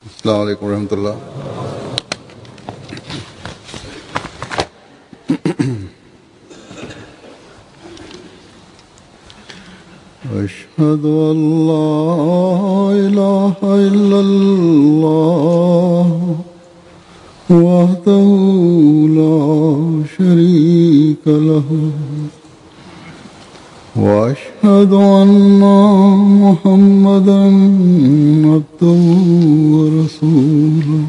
السلام عليڪم ورحمة الله. أشهد أن لا إله إلا الله وحده لا شريك له وأشهد أن محمدا عبده ورسوله.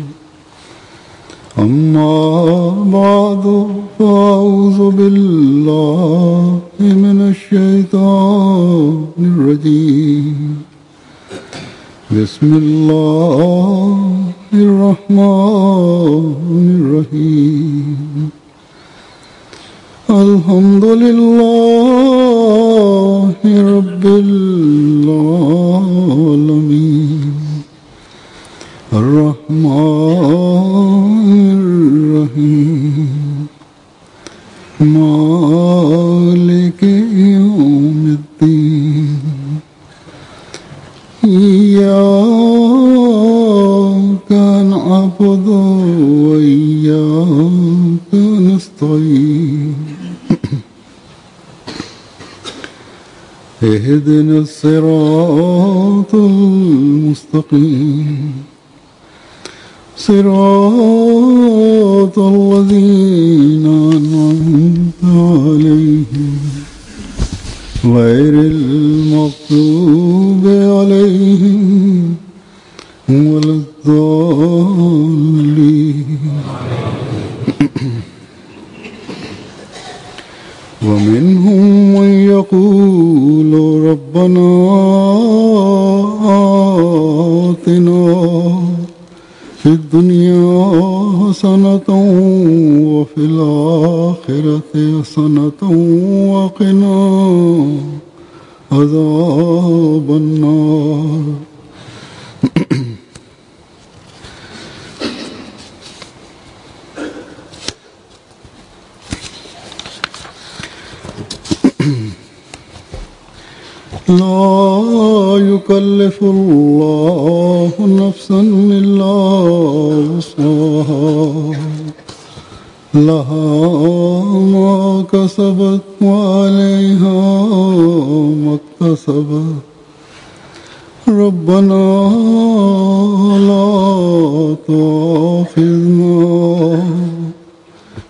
أما بعد، فأعوذ بالله من الشيطان الرجيم. بسم الله الرحمن الرحيم. الحمد لله رب العالمين، الرحمن الرحيم، مالك يوم الدين، إياك نعبد وإياك نستعين، اهدنا الصراط المستقيم، صراط الذين أنعمت عليهم، غير المغضوب عليهم ولا الضالين. ومنهم من يقول ربنا آتنا في الدنيا حسنة وفي الآخرة حسنة وقنا عذاب النار. لا يكلف الله نفسا إلا وسعها، لها ما كسبت وعليها ما اكتسبت. ربنا لا تؤاخذنا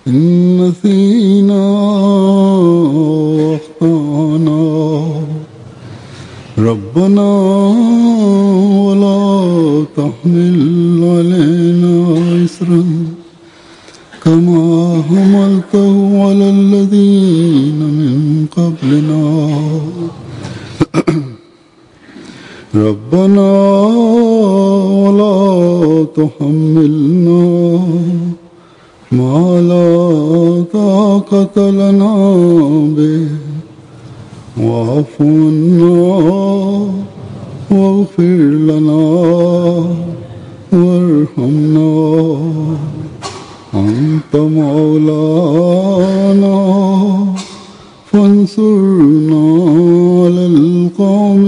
إن نسينا أخطأنا، ربنا ولا تحمل علينا إصرا كما حملته على الذين من قبلنا. ربنا ولا تحملنا ما لا طاقة لنا به، واعف عنا واغفر لنا وارحمنا، أنت مولانا فانصرنا على القوم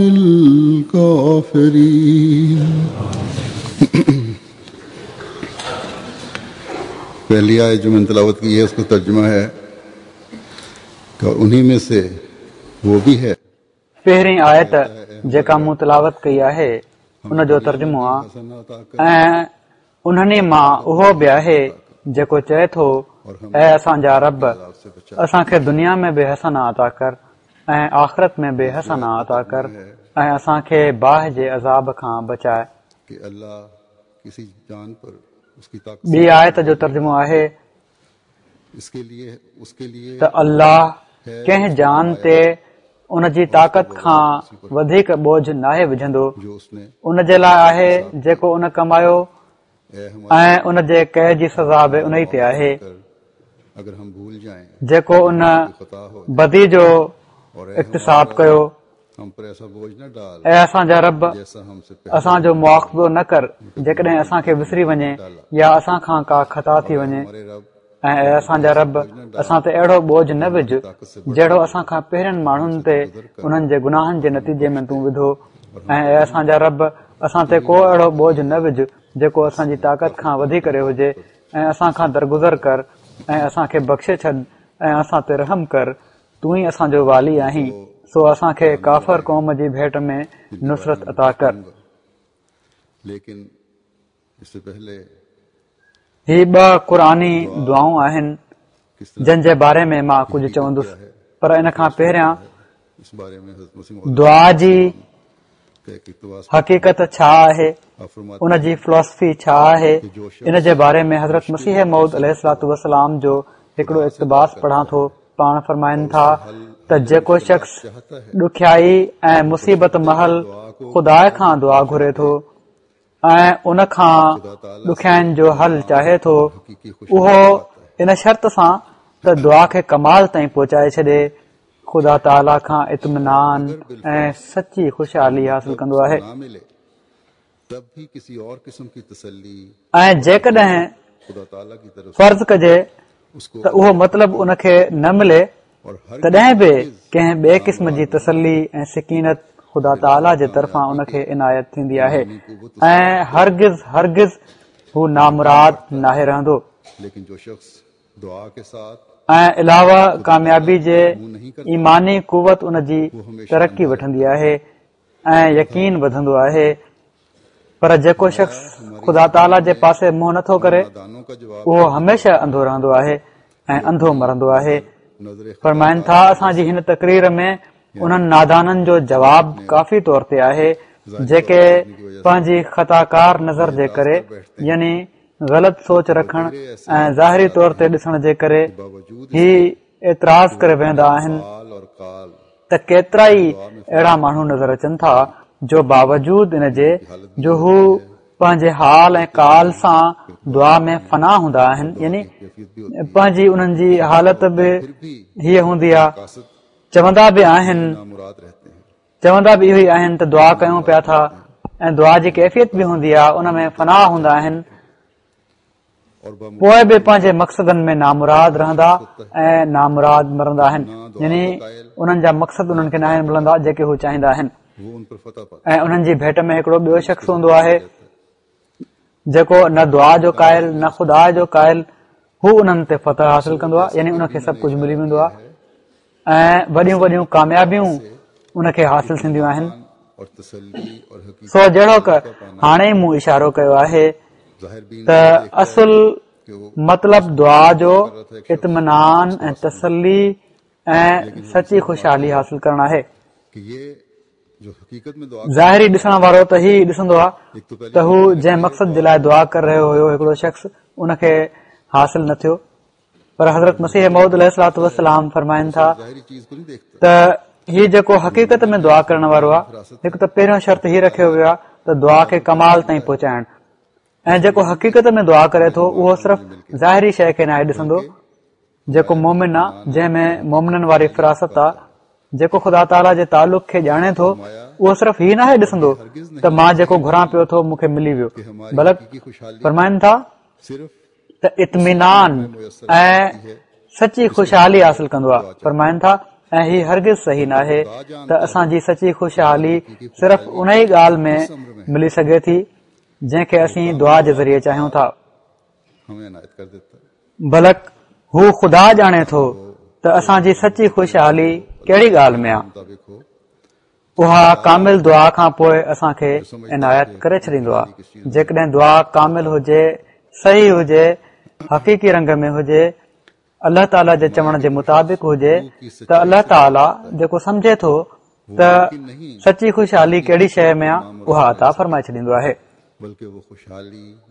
الكافرين. पहली आयत जो मैंने तिलावत की है उसका तर्जुमा है कि और उन्हीं में से वो भी है। पहिरीं आयत जेका मूं तिलावत कई आहे उन जो तर्जुमो आहे, ऐं उन्हनि मां उहो बि आहे जेको चए थो, ऐ असांजा रब, असांखे दुनिया में बि हसना अता कर ऐं आख़िरत में बि हसना अता कर ऐं असांखे बाहि जे अज़ाब खां बचाए। ॿी आयत जो तर्जुमो आहे त अल्लाह कंहिं जान ते उन जी ताक़त खां वधीक बोझ नाहे विझंदो, उन जे लाइ आहे जेको उन कमायो ऐं उन जे कए जी सज़ा बि उन ई ते आहे जेको उन बदी जो इक्तिसाब कयो। ऐ असांजा रब, असांजो मुआख़ज़ो न कर जेकॾहिं असांखे विसरी वञे या असां खां का ख़ता थी वञे, ऐं ऐ असांजा रब, असां ते अहिड़ो बोझ न विझ जहिड़ो असां खां पहिरियनि माण्हुनि ते उन्हनि जे गुनाहनि जे नतीजे में तूं विधो, ऐं ऐ असांजा रब, असां ते को अहिड़ो बोझ न विझ جيڪو اسان جي طاقت کان وڌي ڪري هجي ۽ اسان کان درگذر ڪر ۽ اسان کي بخشي ڇڏ ۽ اسان تي رحم ڪر، تون ئي اسان جو والي آهين، سو اسان کي ڪافر قوم جي ڀيٽ ۾ نصرت عطا ڪر. هي ٻه قرآني دعائون آهن جن جي باري ۾ مان ڪجهه چوندس پر ان کان پهريان دعا جي حقيقت ڇا آهي ان جي فلاسفي ڇا آهي ان جي باري ۾ حضرت مسيح موعود عليه الصلوة والسلام جو هڪڙو اقتباس پڙهان ٿو پاڻ فرمائن ٿا ته جيڪو شخص ڏکيائي ۽ مصيبت مهل خدا کان دعا گهري ٿو ۽ ان کان ڏکيائين جو حل چاهي ٿو اهو ان شرط سان ته دعا کي ڪمال تائين پهچائي ڇڏي خدا تعاليٰ کان اطمينان ۽ سچي خوشحالي حاصل ڪندو آهي ۽ جيڪڏهن فرض ڪجي ته اهو مطلب ان کي نه ملي تڏهن به ڪنهن ٻئي قسم جي تسلي ۽ سڪينت خدا تعاليٰ جي طرفان ان کي عنايت ٿيندي آهي ۽ هرگز هرگز هو نامراد ناهي رهندو. ۽ علاوه ڪاميابي جي ايماني قوت ان جي ترقي وٺندي آهي ۽ يقين وڌندو آهي پر جيڪو شخص خدا تعاليٰ جي پاسي منهن نٿو ڪري اهو هميشه انڌو رهندو آهي ۽ انڌو مرندو آهي فرمائن ٿا اسان جي هن تقرير ۾ انهن نادانن جو جواب ڪافي طور تي آهي جيڪي پنهنجي خطاڪار نظر جي ڪري يعني غلط سوچ رکڻ ۽ ظاهري طور تي ڏسڻ جي ڪري هي اعتراض ڪري ويهندا آهن ته ڪيترائي اهڙا ماڻهو نظر اچن ٿا جو باوجود ان جي جو هو پنهنجي حال ۽ قال سان دعا ۾ فنا هوندا آهن يعني پنهنجي انهن جي حالت به هيء هوندي آهي چوندا به آهن چوندا به اهو ئي آهن ته دعا ڪيون پيا ٿا ۽ دعا جي ڪيفيت به هوندي آهي ان ۾ فنا هوندا آهن پوء به پنهنجي مقصدن ۾ نامراد رهندا ۽ نامراد مرندا آهن يعني انهن جا مقصد انهن کي ناهن ملندا جيڪي هو چاهيندا آهن ۽ انهن جي ڀيٽ ۾ هڪڙو ٻيو شخص هوندو آهي جيڪو نه دعا جو قائل نه خدا جو قائل هو انهن تي فتح حاصل ڪندو آهي يعني ان کي سڀ ڪجهه ملي ويندو آهي ۽ وڏيون وڏيون ڪاميابيون ان کي حاصل ٿينديون آهن سو جهڙوڪ هاڻي مون اشارو ڪيو آهي ته اصل مطلب دعا جو اطمينان ۽ تسلي ۽ سچي خوشحالي حاصل ڪرڻ آهي ظاهري ڏسڻ وارو ته هي ڏسندو آهي ته هو جنهن مقصد جي لاء دعا ڪري رهيو هيو هڪڙو شخص ان کي حاصل نه ٿيو پر حضرت مسيح موعود عليه الصلوة والسلام فرمائن ٿا ته هي جيڪو حقيقت ۾ دعا ڪرڻ وارو آهي هڪ ته پهريون شرط هي رکيو ويو آهي ته دعا کي ڪمال تائين پهچائڻ ۽ جيڪو حقيقت ۾ دعا ڪري ٿو اهو صرف ظاهري شيء کي ناهي ڏسندو جيڪو مومن آهي جنهن ۾ مومنن واري فراست آهي جيڪو خدا تعاليٰ جي تعلق کي ڄاڻي ٿو اهو صرف هي ناهي ڏسندو ته مان جيڪو گهران پيو ٿو مون کي ملي ويو بلڪ فرمائن ٿا ته اطمينان ۽ سچي خوشحالي حاصل ڪندو آهي فرمائن ٿا ۽ هي هرگز صحيح ناهي ته اسان جي سچي خوشحالي صرف ان ئي ڳالهه ۾ ملي سگهي ٿي جنهن کي اسين دعا جي ذريعي چاهيون ٿا بلڪ هو خدا ڄاڻي ٿو ته اسان جي سچي خوشحالي ڪهڙي ڳالهه ۾ آهي اها ڪامل دعا کان پوء اسان کي عنايت ڪري ڇڏيندو آهي جيڪڏهن دعا ڪامل هجي صحيح هجي حقيقي رنگ ۾ هجي الله تعاليٰ جي چوڻ جي مطابق هجي ته الله تعاليٰ جيڪو سمجهي ٿو ته سچي خوشحالي ڪهڙي شيء ۾ آهي اها عطا فرمائي ڇڏيندو آهي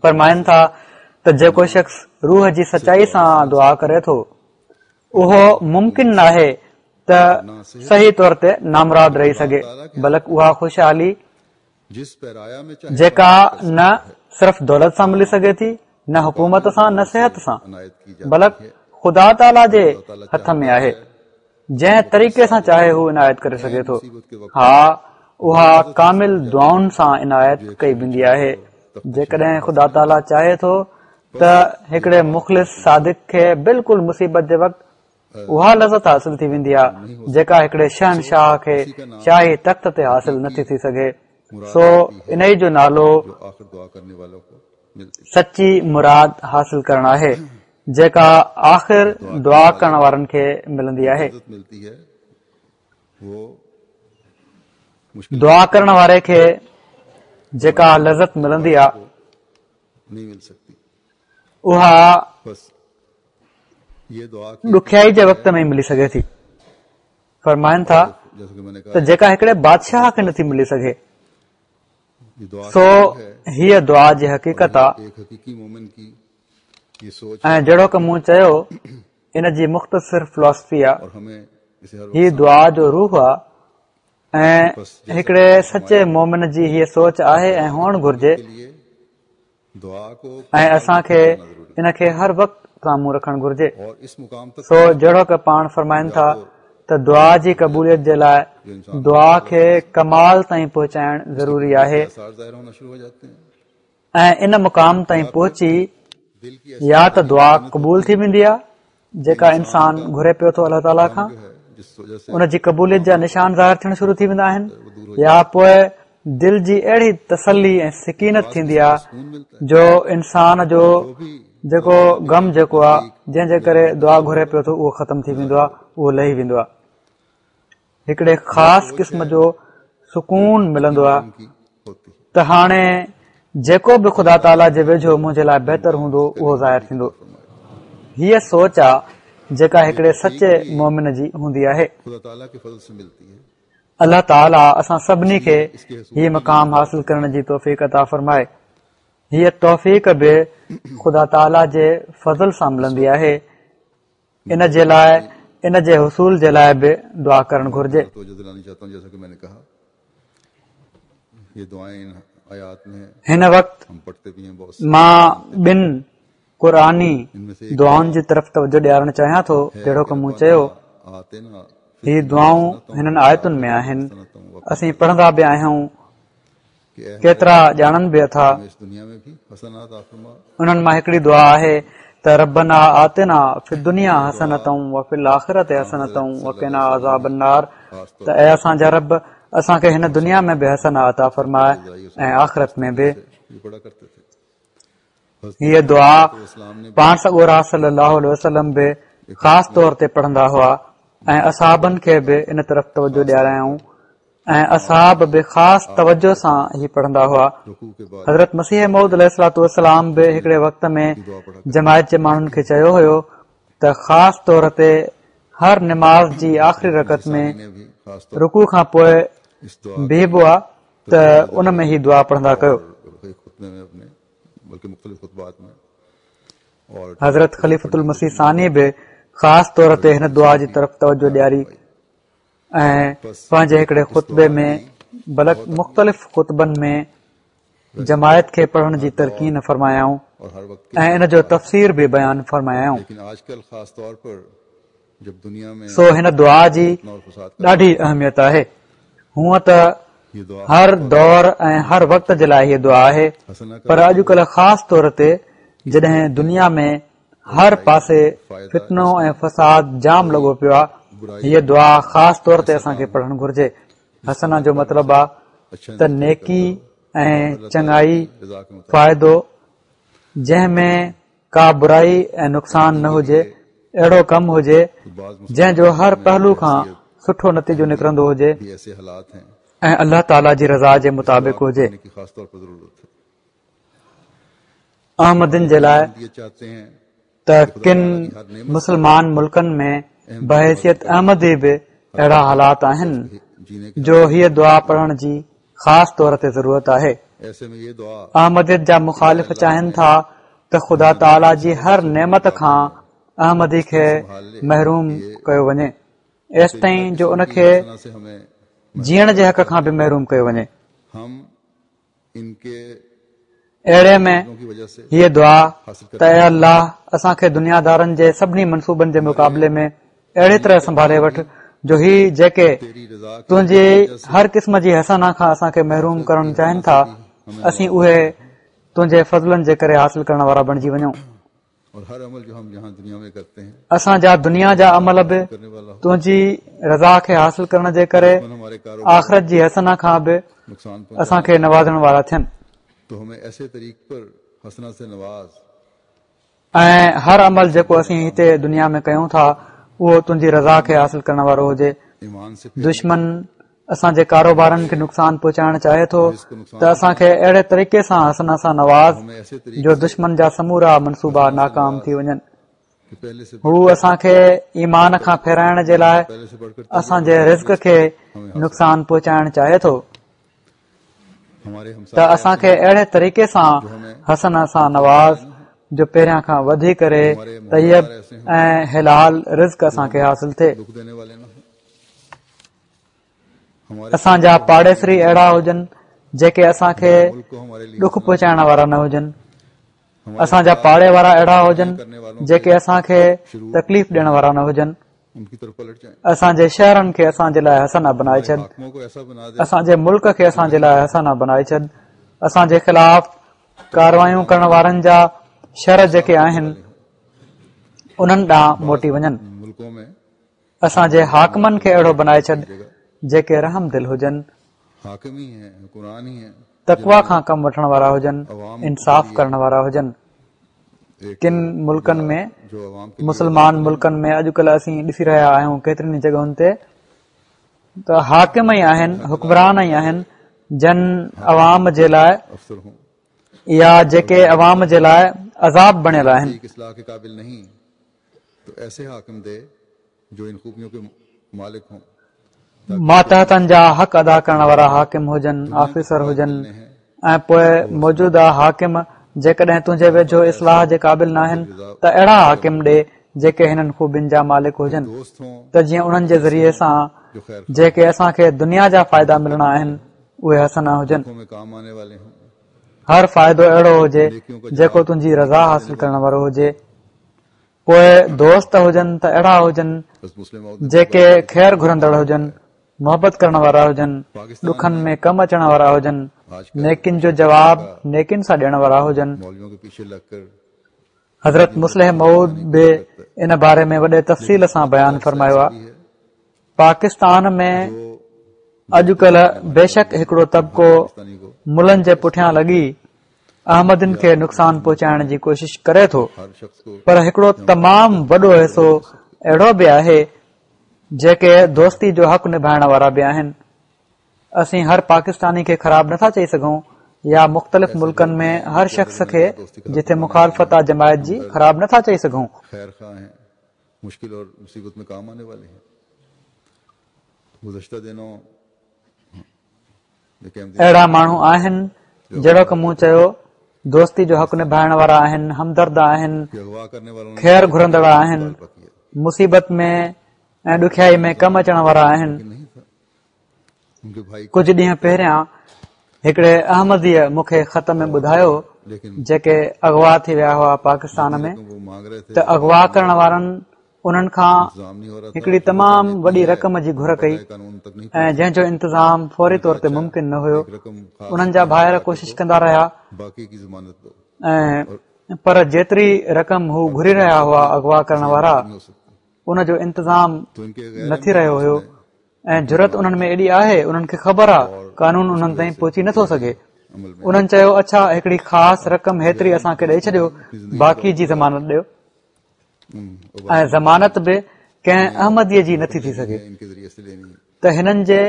فرمائن ٿا ته جيڪو شخص روح جي سچائي سان دعا ڪري ٿو اهو ممڪن ناهي ته صحيح طور تي نامراد رهي سگهي بلڪ اها خوشحالي جيڪا نه صرف دولت سان ملي سگهي ٿي نه حڪومت سان نه صحت سان بلڪ خدا تعاليٰ جي هٿ ۾ آهي جنهن طريقي سان چاهي هو عنايت ڪري سگهي ٿو ها اها ڪامل دعائن سان عنايت ڪئي ويندي آهي جيڪڏهن خدا تعاليٰ چاهي ٿو ته هڪڙي مخلص صادق کي بلڪل مصيبت جي وقت اها لذت حاصل ٿي ويندي آهي جيڪا هڪڙي شهنشاهه کي شاهي تخت تي حاصل نٿي ٿي سگهي سو انهي جو نالو سچي مراد حاصل ڪرڻ آهي، جيڪا آخر دعا ڪرڻ وارن کي ملندي آهي. دعا ڪرڻ واري کي جيڪا لذت ملندي آهي، اها ڏکيائي جي وقت ۾ ئي ملي سگهي ٿي. فرمائن ٿا ته جيڪا هڪڙي بادشاهه کي نٿي ملي سگهي، سو هيء دعا جي حقيقت آ ۽ جهڙوڪ مون چيو ان جي مختصر فلاسفي آ. هي دعا جو روح آ ۽ هڪڙي سچي مومن جي هيء سوچ آهي ۽ هئڻ گهرجي. ۽ اسان کي ان کي هر وقت سامهون رکڻ گهرجي. سو جهڙوڪ پاڻ فرمائن ٿا ته دعا جي قبوليت جي لاء دعا کي ڪمال تائين پهچائڻ ضروري آهي ۽ ان مقام تائين پهچي يا ته دعا قبول ٿي ويندي آهي جيڪا انسان گهري پيو ٿو الله تعاليٰ کان ان جي قبوليت جا نشان ظاهر ٿيڻ شروع ٿي ويندا آهن يا پوء دل جي اهڙي تسلي ۽ سڪينت ٿيندي آهي جو انسان جو جيڪو غم جيڪو آهي جنهن جي ڪري دعا گهري پيو ٿو اهو ختم ٿي ويندو آهي اهو لهي ويندو آهي هڪڙي خاص قسم جو سڪون ملندو آهي ته هاڻي جيڪو به خدا تعاليٰ جي ويجهو منهنجي لاء بهتر هوندو اهو ظاهر ٿيندو. هيء سوچ آ جيڪا هڪڙي سچي مؤمن جي هوندي آهي. الله تعاليٰ اسان سڀني کي هي مقام حاصل ڪرڻ جي توفيق عطا فرمائي. هيء توفيق به خدا تعاليٰ جي فضل سان ملندي آهي. ان جي لاء ان جي حصول جي لاء به دعا ڪرڻ گهرجي. هن وقت مان ٻن قرآني دعائن جي طرف توجه ڏيارڻ چاهيان ٿو جهڙوڪ مون چيو هي دعائون هنن آيتن ۾ آهن اسين پڙهندا به آهيون ڪيترا ڄاڻن به ٿا. انهن مان هڪڙي دعا آهي ته ربنا آتنا في الدنيا حسنة وفي الآخرة حسنة وقنا عذاب النار ته اي اسان جا رب اسان کي هن دنيا ۾ به حسنه عطا فرماء ۽ آخرت ۾ به. هيء دعا پاڻ سڳورا صلي الله عليه وسلم به خاص طور تي پڙهندا هئا ۽ اصحابن کي به ان طرف توجه ڏياريائون ۽ اصحاب به خاص توجه سان هي پڙهندا هئا. حضرت مسيح موعود عليه الصلوة والسلام به هڪڙي وقت ۾ جماعت جي ماڻهن کي چيو هيو ته خاص طور تي هر نماز جي آخري رڪعت ۾ رڪوع کان پوء بيهبو آ ته ان ۾ هي دعا پڙهندا ڪيو. حضرت خليفة المسيح ثاني به خاص طور تي هن دعا جي طرف توجه ڏياري. ۽ پنهنجي هڪڙي خطبي ۾ بلڪ مختلف خطبن ۾ جماعت کي پڙهڻ جي تلقين فرمايائون ۽ ان جو تفسير به بيان فرمايائون. سو هن دعا جي ڏاڍي اهميت آهي. هونء ته هر دور ۽ هر وقت جي لاء هيء دعا آهي پر اڄڪلهه خاص طور تي جڏهن دنيا ۾ هر پاسي فتنو ۽ فساد جام لڳو پيو آهي هيء دعا خاص طور تي اسان کي پڙهڻ گهرجي حسنه جو مطلب آ ته نيڪي ۽ چڱائي فائدو جنهن ۾ ڪا برائي ۽ نقصان نه هجي اهڙو ڪم هجي جنهن جو هر پهلو کان سٺو نتيجو نڪرندو هجي ۽ الله تعاليٰ جي رضا جي مطابق هجي احمدين جي لاء ته ڪن مسلمان ملڪن ۾ بحيثيت احمدي به اهڙا حالات آهن جو هيء دعا پڙهڻ جي خاص طور تي ضرورت آهي. احمديت جا مخالف چاهين ٿا ته خدا تعاليٰ جي هر نعمت کان احمدي کي محروم ڪيو وڃي ايستائين جو ان کي جيئڻ جي حق کان به محروم ڪيو وڃي. اهڙي ۾ هيء دعا ته اي الله اسان کي دنيا دارن جي سڀني منصوبن جي مقابلي ۾ اهڙي طرح سنڀالي وٺ جو هي جيڪي تنهنجي هر قسم جي حسنه کان اسان کي محروم ڪرڻ چاهين ٿا اسين اهي تنهنجي فضلن جي ڪري حاصل ڪرڻ وارا بڻجي وڃون. اسان جا دنيا جا عمل به تنهنجي رضا کي حاصل ڪرڻ جي ڪري آخرت جي حسنه کان به اسان کي نوازڻ وارا ٿين. ۽ هر عمل جيڪو اسين هتي دنيا ۾ ڪيون ٿا اهو تنهنجي رضا کي حاصل ڪرڻ وارو هجي. دشمن اسان جي ڪاروبارن کي نقصان پهچائڻ چاهي ٿو ته اسان کي اهڙي طريقي سان حسنه سان نواز جو دشمن جا سمورا منصوبا ناڪام ٿي وڃن. هو اسان کي ايمان کان ڦيرائڻ جي لاء اسان جي رزق کي نقصان پهچائڻ چاهي ٿو ته اسان کي اهڙي طريقي سان حسنه سان نواز جو پهريان کان وڌي ڪري طيب ۽ حلال رزق اسان کي حاصل ٿئي. اسان جا پاڙيسري اهڙا هجن جيڪي اسان کي ڏک پهچائڻ وارا نه هجن. اسان جا پاڙي وارا اهڙا هجن جيڪي اسان کي تڪليف ڏيڻ وارا نه هجن. اسان جي شهرن کي اسان جي لاء حسنه بنائي ڇڏ. اسان جي ملڪ کي اسان جي لاء حسنه بنائي ڇڏ. اسان جي خلاف ڪاروايون ڪرڻ وارن جا شر جيڪي آهن انهن ڏانهن موٽي وڃن. اسان جي حاڪمن کي اهڙو بنائي ڇڏ جيڪي رحم دل هجن، تقويٰ کان ڪم وٺڻ وارا هجن، انصاف ڪرڻ وارا هجن. ڪن ملڪن ۾ مسلمان ملڪن ۾ اڄڪلهه اسين ڏسي رهيا آهيون ڪيترين ئي جڳهن تي ته حاڪم ئي آهن حڪمران ئي آهن جن عوام جي لاء يا جيڪي عوام جي لاء عذاب بڻيل آهن. ماتحتن جا حق ادا ڪرڻ وارا حاڪم هجن، آفيسر هجن ۽ پوء موجوده حاڪم جيڪڏهن تنهنجي ويجهو اصلاح جي قابل ناهن ته اهڙا حاڪم ڏي جيڪي هنن خوبين جا مالڪ هجن ته جيئن انهن جي ذريعي سان جيڪي اسان کي دنيا جا فائدا ملڻا آهن اهي حسنه هجن. هر فائدو اهڙو هجي جيڪو تنهنجي رضا حاصل ڪرڻ وارو هجي. پوء دوست هجن ته اهڙا هجن جيڪي خير گهرندڙ هجن، محبت ڪرڻ وارا هجن، ڏکن ۾ ڪم اچڻ وارا هجن، نيڪين جو جواب نيڪين سان ڏيڻ وارا هجن. حضرت مصلح موعود به ان باري ۾ وڏي تفصيل سان بيان فرمايو آهي. پاڪستان ۾ اڄڪلهه بيشڪ هڪڙو طبقو ملن جي پٺيان لڳي احمدين کي نقصان پهچائڻ جي ڪوشش ڪري ٿو پر هڪڙو تمام وڏو حصو اهڙو به آهي جيڪي دوستي جو حق نڀائڻ وارا به آهن. اسين هر پاڪستاني کي خراب نٿا چئي سگهون يا مختلف ملڪن ۾ هر شخص کي جتي مخالفت آ جماعت جي خراب نٿا چئي سگهون. اهڙا ماڻهو آهن جهڙوڪ مون چيو دوستي جو حق نڀائڻ وارا آهن، همدرد آهن، خير گهرندڙ آهن، مصيبت ۾ ۽ ڏکيائي ۾ ڪم اچڻ وارا آهن. ڪجهه ڏينهن پهريان هڪڙي احمديء مون کي خط ۾ ٻڌايو جيڪي اغوا ٿي ويا هئا پاڪستان ۾ ته اغوا ڪرڻ وارن انهن کان هڪڙي تمام وڏي رقم جي گهر ڪئي ۽ جنهن جو انتظام فوري طور تي ممڪن نه هيو انهن جا ڀائر ڪوشش ڪندا رهيا ۽ پر جيتري رقم هو گهري رهيا هئا اغوا ڪرڻ وارا ان جو انتظام نه ٿي رهيو هيو ۽ جرئت انهن ۾ ايڏي آهي انهن کي خبر آ قانون انهن تائين پهچي نٿو سگهي انهن چيو اڇا هڪڙي خاص رقم هيتري اسان کي ڏئي ڇڏيو باقي جي ضمانت ڏيو ۽ ضمانت به ڪنهن احمديء جي نٿي ٿي سگهي ته هنن جي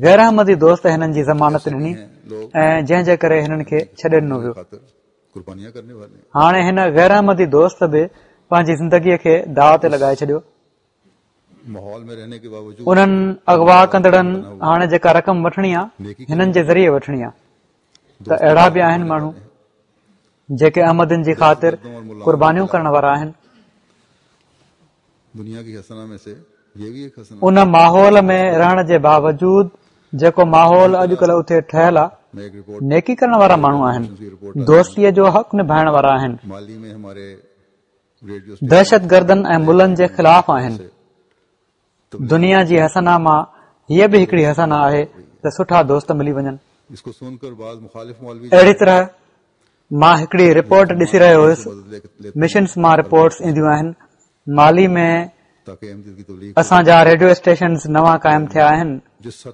غير احمدي دوست هنن جي ضمانت ڏني ۽ جنهن جي ڪري هنن کي ڇڏي ڏنو ويو هاڻي هن غير احمدي دوست به پنهنجي زندگيء کي داء تي لڳائي ڇڏيو انهن اغوا ڪندڙن هاڻي جيڪا رقم وٺڻي آ هنن جي ذريعي وٺڻي آ ته اهڙا به آهن ماڻهو جيڪي احمدين جي خاطر قربانيون ڪرڻ وارا آهن. ان ماحول ۾ رهڻ جي باوجود جيڪو ماحول اڄڪلهه اتي ٺهيل آ، نيڪي ڪرڻ وارا ماڻهو آهن، دوستيء جو حق نڀائڻ وارا آهن، دهشتگردن ۽ ملن جي خلاف آهن. دنيا جي حسنه مان هيء به هڪڙي حسنه آهي ته سٺا دوست ملي وڃن. اهڙي طرح مان هڪڙي رپورٽ ڏسي رهيو هيس، مشنس مان رپورٽس اينديون آهن، مالي ۾ اسان جا ريڊيو اسٽيشنز نوان قائم ٿيا آهن،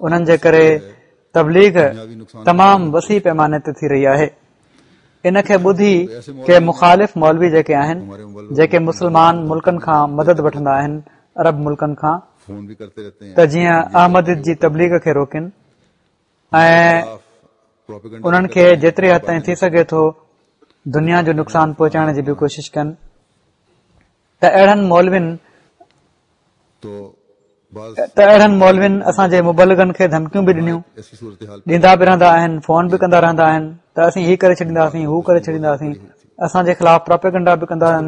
انهن جي ڪري تبليغ تمام وسيع پيماني تي ٿي رهي آهي. ان کي ٻڌي ڪي مخالف مولوي جيڪي آهن، جيڪي مسلمان ملڪن کان مدد وٺندا آهن، عرب ملڪن کان، ته جيئن احمديت جي تبليغ کي روڪين ۽ انهن کي جيتري حد تائين ٿي سگهي ٿو دنيا جو نقصان پهچائڻ جي به ڪوشش ڪن ته اهڙن مولوين ته اهڙن مولوين اسان جي مبلغن کي ڌمڪيون به ڏنيون، ڏيندا به رهندا آهن، فون به ڪندا رهندا آهن ته اسين هي ڪري ڇڏينداسين، هو ڪري ڇڏينداسين، اسان جي خلاف پراپيگنڊا به ڪندا آهن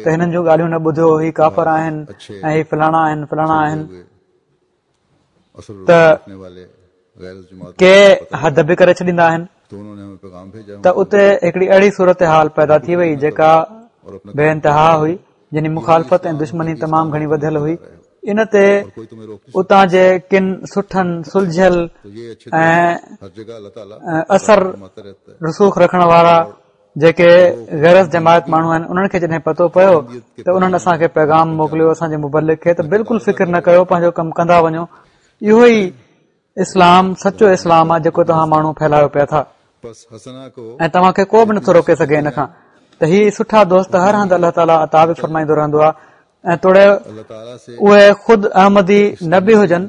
ته هنن جون ڳالهيون نه ٻڌو، هي ڪافر آهن ۽ هي فلاڻا آهن، فلاڻا آهن ته ڪي حد به ڪري ڇڏيندا آهن ته اتي هڪڙي اهڙي صورتحال پيدا ٿي وئي جيڪا بي انتها هئي يعني مخالفت ۽ دشمني تمام گهڻي وڌيل هئي ان تي اتان جي ڪن سٺن سلجهيل ۽ اثر رسوخ رکڻ وارا جيڪي غير از جماعت ماڻهو آهن انهن کي جڏهن پتو پيو ته انهن اسان کي پيغام موڪليو اسان جي مبلغ کي ته بلڪل فڪر نه ڪيو پنهنجو ڪم ڪندا وڃو اهو ئي اسلام سچو اسلام آهي جيڪو توهان ماڻهو ڦهلايو پيا ٿا ۽ توهان کي ڪو به نٿو روڪي سگهي ان کان ته هي سٺا دوست هر هنڌ الله تعاليٰ عطا به فرمائيندو رهندو آهي ۽ توڙي اهي خود احمدي نه به هجن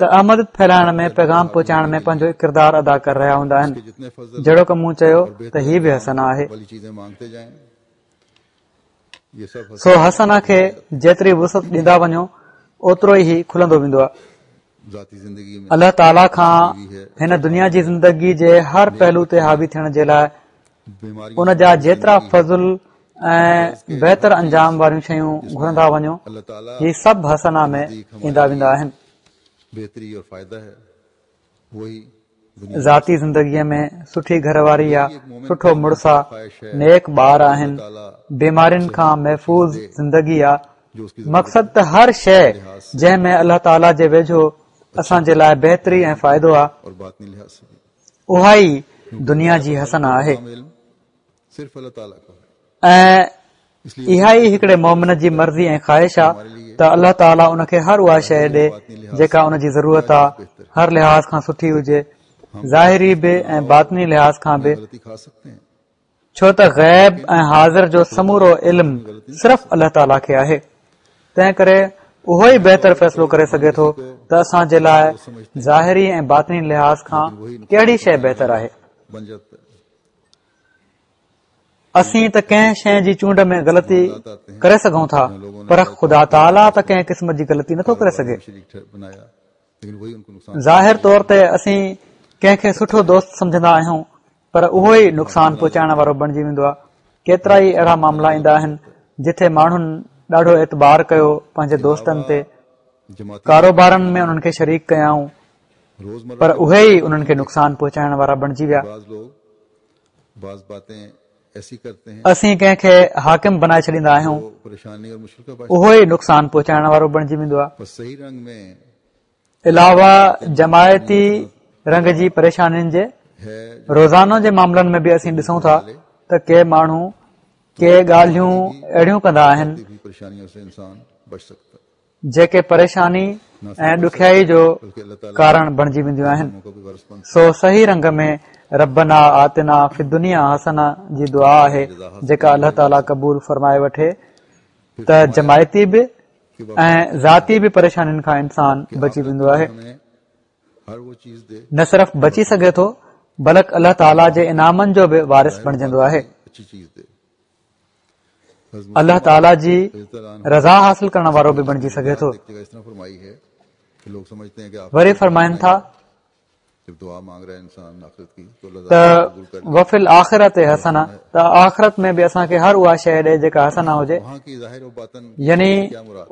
ته احمديت ڦهلائڻ ۾ پيغام پهچائڻ ۾ پنهنجو ڪردار ادا ڪري رهيا هوندا آهن جهڙوڪ مون چيو ته هي به حسنه آهي سو حسنه کي جيتري وسعت ڏيندا وڃو اوترو ئي هي کلندو ويندو آهي الله تعاليٰ کان هن دنيا جي زندگي جي هر پهلو تي حاوي ٿيڻ جي لاء ان جا جيترا فضل ۽ بهتر انجام واريون شيون گهرندا وڃو هي سڀ حسنه ۾ ايندا ويندا آهن. ذاتي زندگيء ۾ سٺي گهر واري يا سٺو مڙس آ، نيڪ ٻار آهن، بيمارين کان محفوظ زندگي آ، مقصد ته هر شيء جنهن ۾ الله تعاليٰ جي ويجهو اسان جي لاء بهتري ۽ فائدو آ، اها ئي دنيا جي حسنه آهي ۽ اها ئي هڪڙي مومن جي مرضي ۽ خواهش آ ته الله تعاليٰ ان کي هر اها شيء ڏي جيڪا ان جي ضرورت آ، هر لحاظ کان سٺي هجي، ظاهري به ۽ باطني لحاظ کان به. ڇو ته غيب ۽ حاضر جو سمورو علم صرف الله تعاليٰ کي آهي، تنهن ڪري اهو ئي بهتر فيصلو ڪري سگهي ٿو ته اسان جي لاء ظاهري ۽ باطني لحاظ کان ڪهڙي شيء بهتر آهي. اسين ته ڪنهن شيء جي چونڊ ۾ غلطي ڪري سگهون ٿا، پر خدا تعاليٰ ته ڪنهن قسم جي غلطي نٿو ڪري سگهي. ظاهر طور تي اسين ڪنهن کي سٺو دوست سمجهندا آهيون پر اهو ئي نقصان پهچائڻ وارو بڻجي ويندو آهي ڪيترا ئي اهڙا معاملا ايندا آهن جتي ماڻهن ڏاڍو اعتبار ڪيو پنهنجي دوستن تي ڪاروبارن ۾ انهن کي شريڪ ڪيائون پر اهي ئي انهن کي نقصان پهچائڻ وارا بڻجي ويا اسين ڪنهن کي حاڪم بنائي ڇڏيندا آهيون اهو ئي نقصان پهچائڻ وارو بڻجي ويندو آهي علاوه جماعتي رنگ جي پريشانين جي روزانو جي معاملن ۾ به اسين ڏسون ٿا ته ڪي ماڻهو ڪي ڳالهيون اهڙيون ڪندا آهن جيڪي پريشاني ۽ ڏکيائي جو ڪارڻ بڻجي وينديون آهن سو صحيح رنگ ۾ ربنا آتنا في الدنيا حسنه جي دعا آهي جيڪا الله تعالي قبول فرمائي وٺي ته جماعتي به ۽ ذاتي به پريشانين کان انسان بچي ويندو آهي نه صرف بچي سگهي ٿو بلڪ الله تعالي جي انعامن جو به وارث بڻجندو آهي الله تعالي جي رضا حاصل ڪرڻ وارو به بڻجي سگهي ٿو وري فرمائن ٿا ته وفي الآخرة حسنة ته آخرت ۾ به اسان کي هر اها شيء ڏي جيڪا حسنه هجي يعني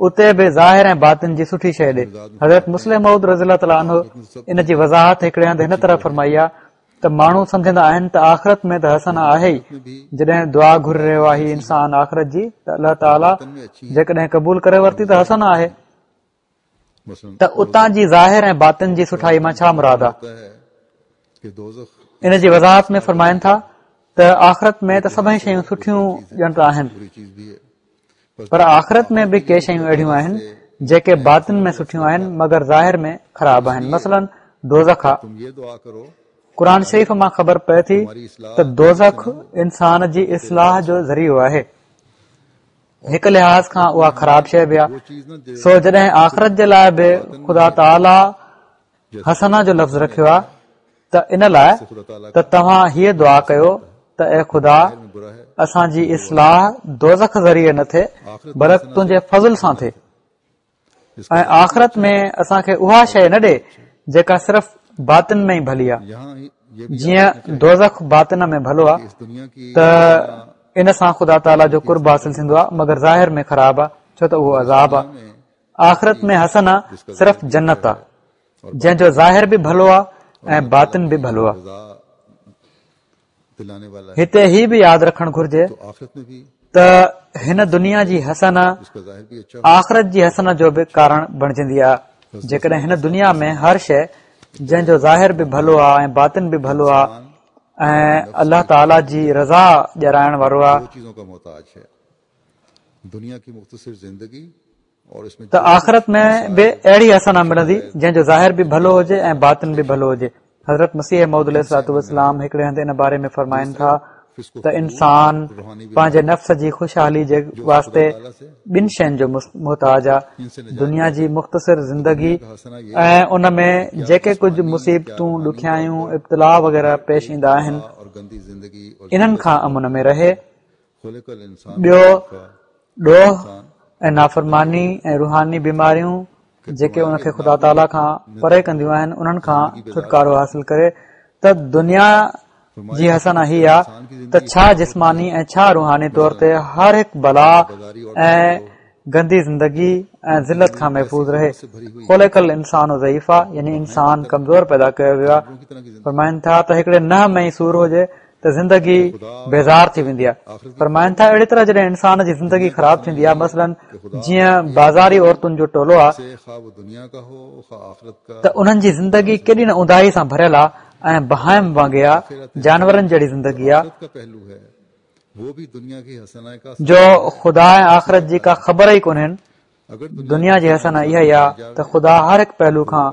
اتي به ظاهر ۽ باطن جي سٺي شيء ڏي حضرت مصلح موعود رضي الله تعاليٰ عنه ان جي وضاحت هڪڙي هنڌ هن طرح فرمائي آهي ته ماڻهو سمجهندا آهن ته آخرت ۾ ته حسنه آهي ئي جڏهن دعا گهري رهيو آهي انسان آخرت جي ته الله تعاليٰ جيڪڏهن قبول ڪري ورتي ته حسنه آهي ته اتان جي ظاهر ۽ باطن جي سٺائي مان ڇا مراد آهي ان جي وضاحت ۾ فرمائن ٿا ته آخرت ۾ ته سڀئي شيون سٺيون ڄڻ ته آهن پر آخرت ۾ به ڪي شيون اهڙيون آهن جيڪي باطن ۾ سٺيون آهن مگر ظاهر ۾ خراب آهن مثلا دوزخ آ. قرآن شريف مان خبر پئي ٿي ته دوزخ انسان جي اصلاح جو ذريعو آهي. هڪ لحاظ کان اها خراب شيء به آهي. سو جڏهن آخرت جي لاء به خدا تعاليٰ حسنه جو لفظ رکيو آهي ته ان لاء ته توهان هيء دعا ڪيو ته اي خدا اسان جي اصلاح دوزخ ذريعي نه ٿئي بلڪ تنهنجي فضل سان ٿئي. ۽ آخرت ۾ اسان کي اها شيء نه ڏي جيڪا صرف باطن ۾ ئي ڀلي آهي جيئن دوزخ باطن ۾ ڀلو آهي ته ان سان خدا تعاليٰ جو قرب حاصل ٿيندو آهي مگر ظاهر ۾ خراب آهي ڇو ته اهو عذاب آهي آخرت ۾ حسنه صرف جنت آهي جنهن جو ظاهر به ڀلو آهي ۽ باطن به ڀلو آهي هتي هي به ياد رکڻ گهرجي ته هن دنيا جي حسنه آخرت جي حسنه جو به ڪارڻ بڻجندي آهي جيڪڏهن هن دنيا ۾ هر شيء جنهن جو ظاهر به ڀلو آهي ۽ باطن به ڀلو آهي ۽ الله تعالي جي رضا ڏيارائڻ وارو آهي ته آخرت ۾ به اهڙي حسنه ملندي جنهن جو ظاهر به ڀلو هجي ۽ باطن به ڀلو هجي حضرت مسيح موعود عليه الصلوة والسلام هڪڙي هنڌ ان باري ۾ فرمائن ٿا ته انسان پنهنجي نفس جي خوشحالي جي واسطي ٻن شين جو محتاج آ دنيا جي مختصر زندگي ۽ ان ۾ جيڪي ڪجهه مصيبتون ڏکيائيون ابتلاء وغيره پيش ايندا آهن انهن کان امن ۾ رهي ٻيو ڏوهه ۽ نافرماني ۽ روحاني بيماريون جيڪي ان کي خدا تعاليٰ کان پري ڪنديون آهن انهن کان ڇوٽڪارو حاصل ڪري ته دنيا جي حسنه هي آ ته ڇا جسماني ۽ ڇا روحاني طور تي هر هڪ بلا ۽ گندي زندگي ۽ ذلت کان محفوظ رهي. خلق الانسان ضعيفا يعني انسان ڪمزور پيدا ڪيو ويو آهي. فرمائن ٿا ته هڪڙي ننهن ۾ ئي سور هجي ته زندگي بيزار ٿي ويندي آهي. فرمائن ٿا اهڙي طرح جڏهن انسان جي زندگي خراب ٿيندي آهي مثلاً جيئن بازاري عورتن جو ٽولو آهي ته انهن جي زندگي ڪيڏي نه اونداهي سان ڀريل آهي ۽ بهائم وانگي آهي جانورن جهڙي زندگي آهي. جو خدا ۽ آخرت جي ڪا خبر ئي ڪونهين دنيا جي حسنه اها ئي آهي ته خدا هر هڪ پهلو کان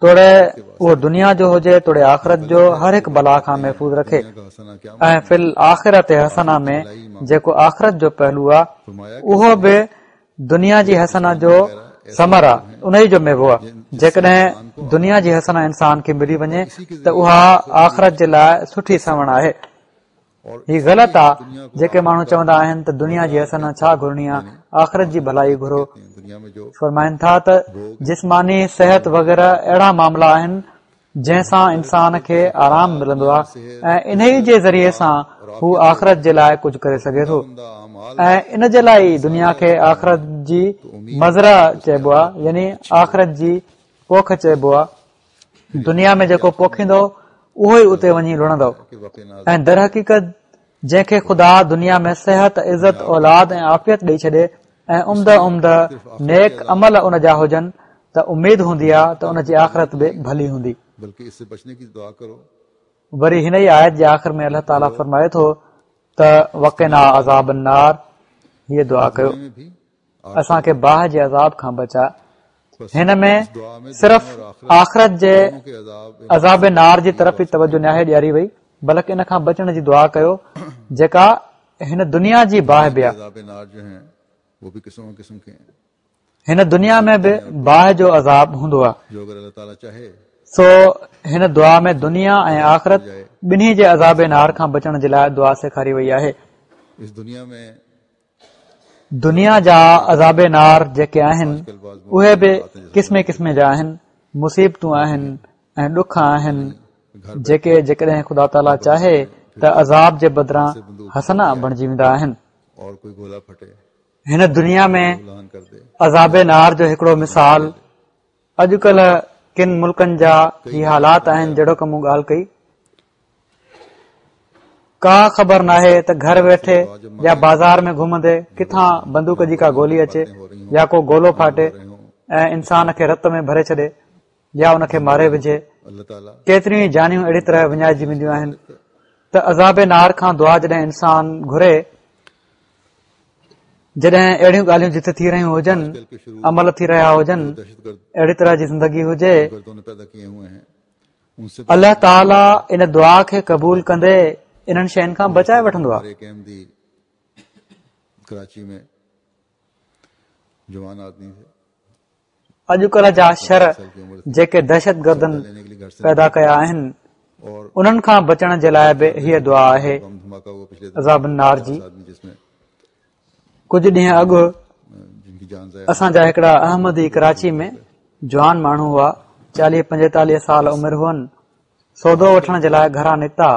توڙي اهو دنيا جو هجي توڙي آخرت جو هر هڪ بلا کان محفوظ رکي ۽ في الآخرة حسنه ۾ جيڪو آخرت جو پهلو آهي اهو به دنيا جي حسنه جو ثمر آهي ان ئي جو ميوو آهي جيڪڏهن دنيا جي حسنه انسان کي ملي وڃي ته اها آخرت جي لاء سٺي سوڻ آهي هي غلط آ جيڪي ماڻهو چوندا آهن ته دنيا جي حسنه ڇا گهرڻي آ آخرت جي ڀلائي گهرو فرمائن ٿا ته جسماني صحت وغيره اهڙا معاملا آهن جنهن سان انسان کي آرام ملندو آ ۽ انهي جي ذريعي سان هو آخرت جي لاء ڪجهه ڪري سگهي ٿو ۽ ان جي لاء ئي دنيا کي آخرت جي مزرعه چئبو آ يعني آخرت جي پوک چئبو آ دنيا ۾ جيڪو پوکيندو اهو ئي اتي وڃي لڻندو ۽ درحقيقت جنهن کي خدا دنيا ۾ صحت عزت اولاد ۽ عافيت ڏئي ڇڏي ۽ عمده عمده نيڪ عمل ان جا هجن ته اميد هوندي آهي ته ان جي آخرت به ڀلي هوندي. وري هن ئي آيت جي آخر ۾ الله تعاليٰ فرمائي ٿو ته وقنا عذاب النار هيء دعا ڪيو. اسان کي باهه جي عذاب کان بچاء. هن ۾ صرف آخرت جي عذاب نار جي طرف ئي توجه ناهي ڏياري وئي بلڪ ان کان بچڻ جي دعا ڪيو جيڪا هن دنيا جي باهه به آهي. هن دنيا ۾ به باهه جو عذاب هوندو آهي. سو هن دعا ۾ دنيا ۽ آخرت ٻنهي جي عذاب نار کان بچڻ جي لاء دعا سيکاري وئي آهي. دنيا جا عذاب نار جيڪي آهن اهي به قسمين قسمين جا آهن مصيبتون آهن ۽ ڏک آهن جيڪي جيڪڏهن خدا تعاليٰ چاهي ته عذاب جي بدران حسنه بڻجي ويندا آهن هن دنيا ۾ عذاب نار جو هڪڙو مثال اڄڪلهه ڪن ملڪن جا هي حالات آهن جهڙوڪ مون ڳالهه ڪئي ڪا خبر ناهي ته گهر ويٺي يا بازار ۾ گهمندي ڪٿان بندوق جي ڪا گولي اچي يا ڪو گولو ڦاٽي ۽ انسان کي رت ۾ ڀري ڇڏي يا ان کي ماري وجهي ڪيتريون ئي جانيون اهڙي طرح وڃائجي وينديون آهن ته عذاب نار کان دعا جڏهن انسان گهري جڏهن اهڙيون ڳالهيون جتي ٿي رهيون هجن عمل ٿي رهيا هجن اهڙي طرح جي زندگي هجي. الله تعاليٰ ان دعا کي قبول ڪندي انهن شين کان بچائي وٺندو آهي. اڄڪلهه جا شر جيڪي دهشتگردن پيدا ڪيا آهن انهن کان بچڻ جي لاء به هيء دعا آهي عذاب النار جي. ڪجهه ڏينهن اڳ اسان جا هڪڙا احمدي ڪراچي ۾ جوان ماڻهو هئا چاليهه پنجيتاليهه سال عمر هئن سودو وٺڻ جي لاء گهران نڪتا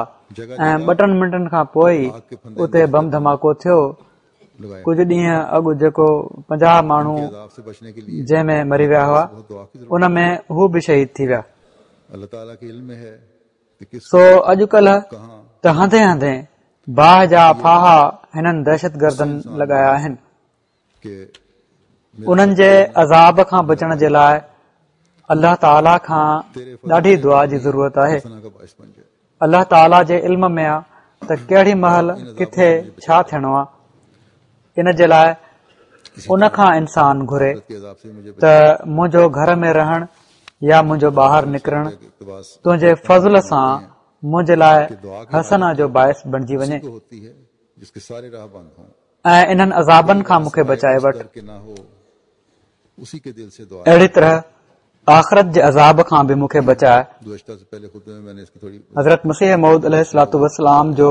۽ ٻه ٽن منٽن کان پوء ئي اتي بم ڌماڪو ٿيو ڪجهه ڏينهن اڳ جيڪو 50 ماڻهو جنهن ۾ مري ويا هئا ان ۾ هو به شهيد ٿي ويا سو اڄڪلهه ته هنڌين هنڌين باهه جا ڦاها هنن دهشتگردن لڳايا آهن. انهن جي عذاب کان بچڻ جي لاء الله تعاليٰ کان ڏاڍي دعا جي ضرورت آهي. الله تعاليٰ جي علم ۾ آ ته ڪهڙي مهل ڪٿي ڇا ٿيڻو آ. ان جي لاء ان کان انسان گهري ته منهنجو گهر ۾ رهڻ يا منهنجو ٻاهر نڪرڻ تنهنجي فضل سان منهنجي لاء حسنه جو باعث بڻجي وڃي ۽ انهن عذابن کان مون کي بچائي وٺ. اهڙي طرح آخرت جي عذاب کان به مون کي بچاء. حضرت مسيح موعود عليه الصلوة والسلام جو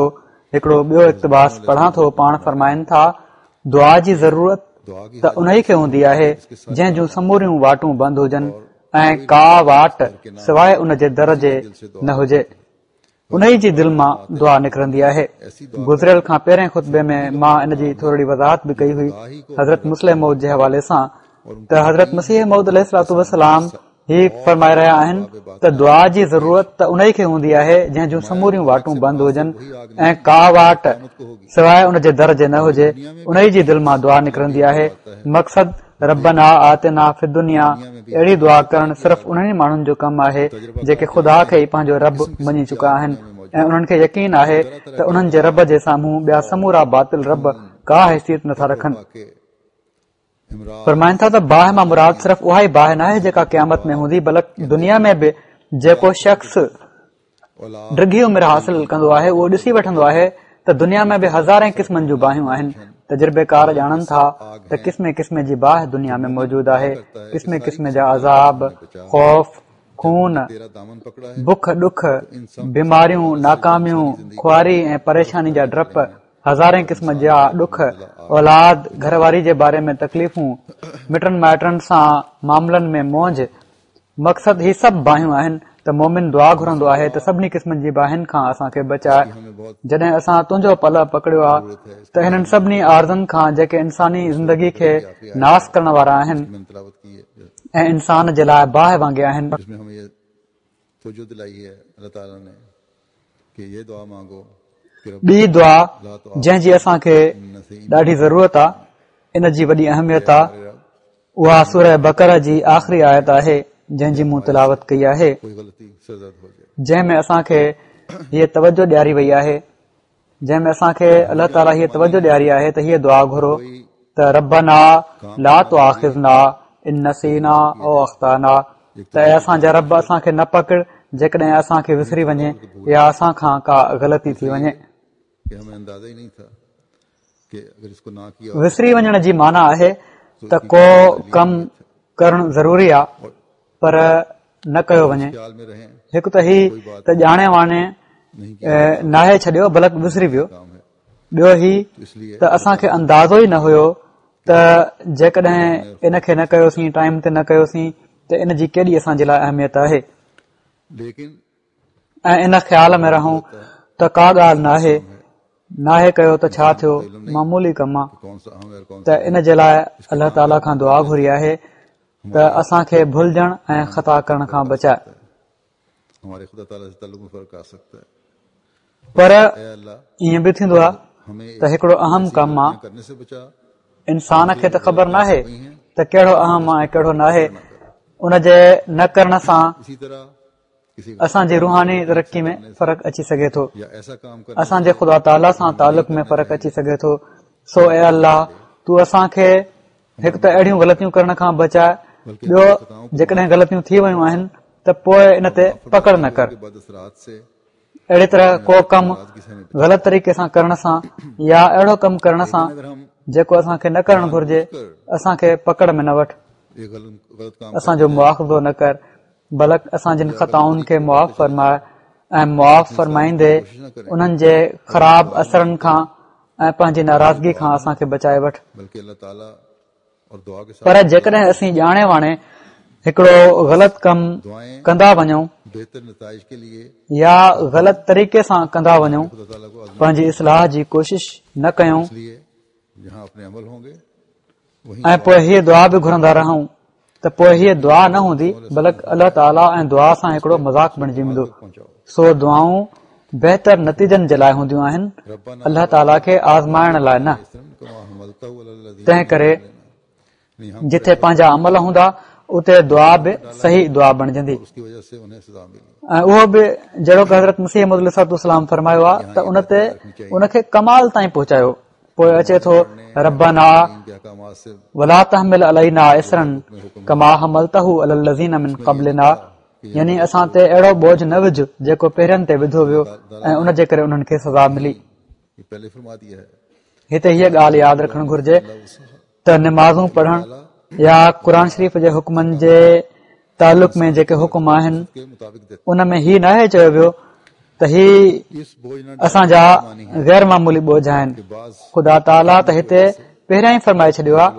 هڪڙو ٻيو اقتباس پڙهان ٿو، پاڻ فرمائن ٿا، دعا جي ضرورت ته انهي کي هوندي آهي جنهن جون سموريون واٽون بند هجن ۽ ڪا واٽ سواء ان جي در جي نه هجي. انهي جي دل مان دعا نڪرندي آهي. گذريل کان پهرين خطبي ۾ مان ان جي ٿورڙي وضاحت به ڪئي هئي حضرت مصلح موعود جي حوالي سان ته حضرت مسيح موعود عليه الصلوة والسلام هي فرمائي رهيا آهن ته دعا جي ضرورت ته انهي کي هوندي آهي جنهن جون سموريون واٽون بند هجن ۽ ڪا واٽ سواء ان جي در جي نه هجي انهي جي دل مان دعا نڪرندي آهي مقصد ربنا آتنا في الدنيا اهڙي دعا ڪرڻ صرف انهن ئي ماڻهن جو ڪم آهي جيڪي خدا کي ئي پنهنجو رب مڃي چڪا آهن ۽ انهن کي يقين آهي ته انهن جي رب جي سامهون ٻيا سمورا باطل رب ڪا حيثيت نٿا رکن. فرمائن ٿا ته باهه مان مراد صرف اها ئي باهه ناهي جيڪا قيامت ۾ هوندي بلڪ دنيا ۾ به جيڪو شخص ڊگهي عمر حاصل ڪندو آهي اهو ڏسي وٺندو آهي ته دنيا ۾ به هزارين قسمن جون باهيون آهن تجربيڪار ڄاڻن ٿا ته قسمين قسمين جي باهه دنيا ۾ موجود آهي قسمين قسمين جا عذاب خوف خون بک ڏک بيماريون ناڪاميون خواري ۽ پريشاني جا ڊپ هزارين قسم جا ڏک اولاد گهر واري جي باري ۾ تڪليفون مٽن مائٽن سان معاملن ۾ مونجهه مقصد هي سڀ باهيون آهن ته مؤمن دعا گهرندو آهي ته سڀني قسمن جي باهين کان اسان کي بچاء جڏهن اسان تنهنجو پلئه پڪڙيو آ ته هنن سڀني عارضن کان جيڪي انساني زندگي کي ناس ڪرڻ وارا آهن ۽ انسان جي لاء باهه وانگي آهن. ٻي دعا جنهن جي اسان کي ڏاڍي ضرورت آ ان جي وڏي اهميت آ اها سوره بقره جي آخري آيت آهي جنهن جي مون تلاوت ڪئي آهي جنهن ۾ اسان کي هيء توجه ڏياري وئي آهي جنهن ۾ اسان کي الله تعاليٰ هيء توجه ڏياري آهي ته هيء دعا گهرو ته ربنا لا تؤاخذنا ان نسينا او اخطانا ته اي اسان جا رب اسان کي نه پڪڙ جيڪڏهن اسان کي وسري وڃي يا اسان کان ڪا غلطي ٿي وڃي وسري وڃڻ جي معنيٰ آهي ته ڪو ڪم ڪرڻ ضروري آ پر نه ڪيو وڃي هڪ ته هي ته ڄاڻي واڻي ناهي ڇڏيو بلڪ وسري ويو ٻيو هي ته اسان کي اندازو ئي نه هيو ته جيڪڏهن ان کي نه ڪيوسين ٽائيم تي نه ڪيوسين ته ان جي ڪيڏي اسان جي لاء اهميت آهي ۽ ان خيال ۾ رهون ته ڪا ڳالهه ناهي، ناهي ڪيو ته ڇا ٿيو، معمولي ڪم آ ته ان جي لاء الله تعاليٰ کان دعا گهري آهي ته اسان کي ڀلجڻ ۽ خطا ڪرڻ کان بچائي. پر ائين به ٿيندو آهي ته هڪڙو اهم ڪم آ، انسان کي ته خبر ناهي ته ڪهڙو اهم آ ۽ ڪهڙو ناهي، ان جي نه ڪرڻ سان اسان جي روحاني ترقي ۾ فرق اچي سگهي ٿو اسان جي خدا تعاليٰ سان تعلق ۾ فرق اچي سگهي ٿو سو اي الله تون اسان کي هڪ ته اهڙيون غلطيون ڪرڻ کان بچاء ٻيو جيڪڏهن غلطيون ٿي ويون آهن ته پوء ان تي پڪڙ نه ڪر. اهڙي طرح ڪو ڪم غلط طريقي سان ڪرڻ سان يا اهڙو ڪم ڪرڻ سان جيڪو اسان کي نه ڪرڻ گهرجي، اسان کي پڪڙ ۾ نه وٺ، اسان جو مواخذو نه ڪر، بلڪ اسان جن خطائن کي معاف فرماء ۽ معاف فرمائيندي انهن جي خراب اثرن کان ۽ پنهنجي ناراضگي کان اسان کي بچائي وٺ. پر جيڪڏهن اسين ڄاڻي واڻي هڪڙو غلط ڪم ڪندا وڃون يا غلط طريقي سان ڪندا وڃون، پنهنجي اصلاح جي ڪوشش نه ڪيون ۽ پوء هيء دعا به گهرندا رهون ته پوء هيء دعا نه هوندي بلڪ الله تعاليٰ ۽ دعا سان هڪڙو مذاق بڻجي ويندو. سو دعائون بهتر نتيجن جي لاء هونديون آهن، الله تعاليٰ کي آزمائڻ لاء نه. تنهن ڪري جتي پنهنجا عمل هوندا اتي دعا به صحيح دعا بڻجندي ۽ اهو به جهڙوڪ حضرت مسيح موعود عليه الصلوة والسلام فرمايو آهي ته ان تي ان کي ڪمال تائين پهچايو. پوء اچي ٿو ربنا ولا تحمل علينا اصرا ڪما حملته علي الذين من قبلنا يعني اسان تي اهڙو بوجه نه وجه جيڪو پهرين تي وڌو ويو ۽ ان جي ڪري انهن کي سزا ملي. هتي هيء ڳالهه ياد رکڻ گهرجي ته نمازون پڙهڻ يا قرآن شريف جي حڪمن جي تعلق ۾ جيڪي حڪم آهن ان ۾ هي ناهي چيو ويو ته هي اسان جا غير معمولي بوجه آهن. خدا تعاليٰ ته هتي پهريان ئي فرمائي ڇڏيو آهي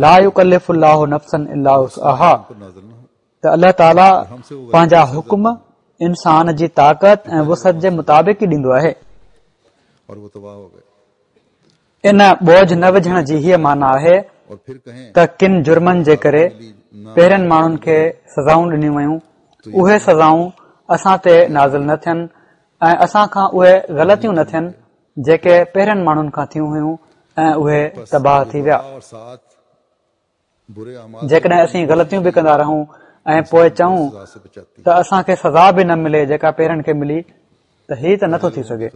لا يڪلف الله نفسا الا وسعها ته الله تعاليٰ پنهنجا حڪم انسان جي طاقت ۽ وسعت جي مطابق ئي ڏيندو آهي. ان بوجه نه وجهڻ جي هيء معنيٰ آهي ته ڪن جرمن جي ڪري پهرين ماڻهن کي سزائون ڏنيون ويون، اهي سزائون اسان تي نازل نه ٿين ۽ اسان کان اهي غلطيون نه ٿين جيڪي پهرين ماڻهن کان ٿيون هيون ۽ اهي تباهه ٿي ويا. جيڪڏهن اسين غلطيون به ڪندا رهون ۽ پوء چئون ته اسان کي سزا به نه ملي جيڪا پهرين کي ملي ته هي ته نٿو ٿي سگهي.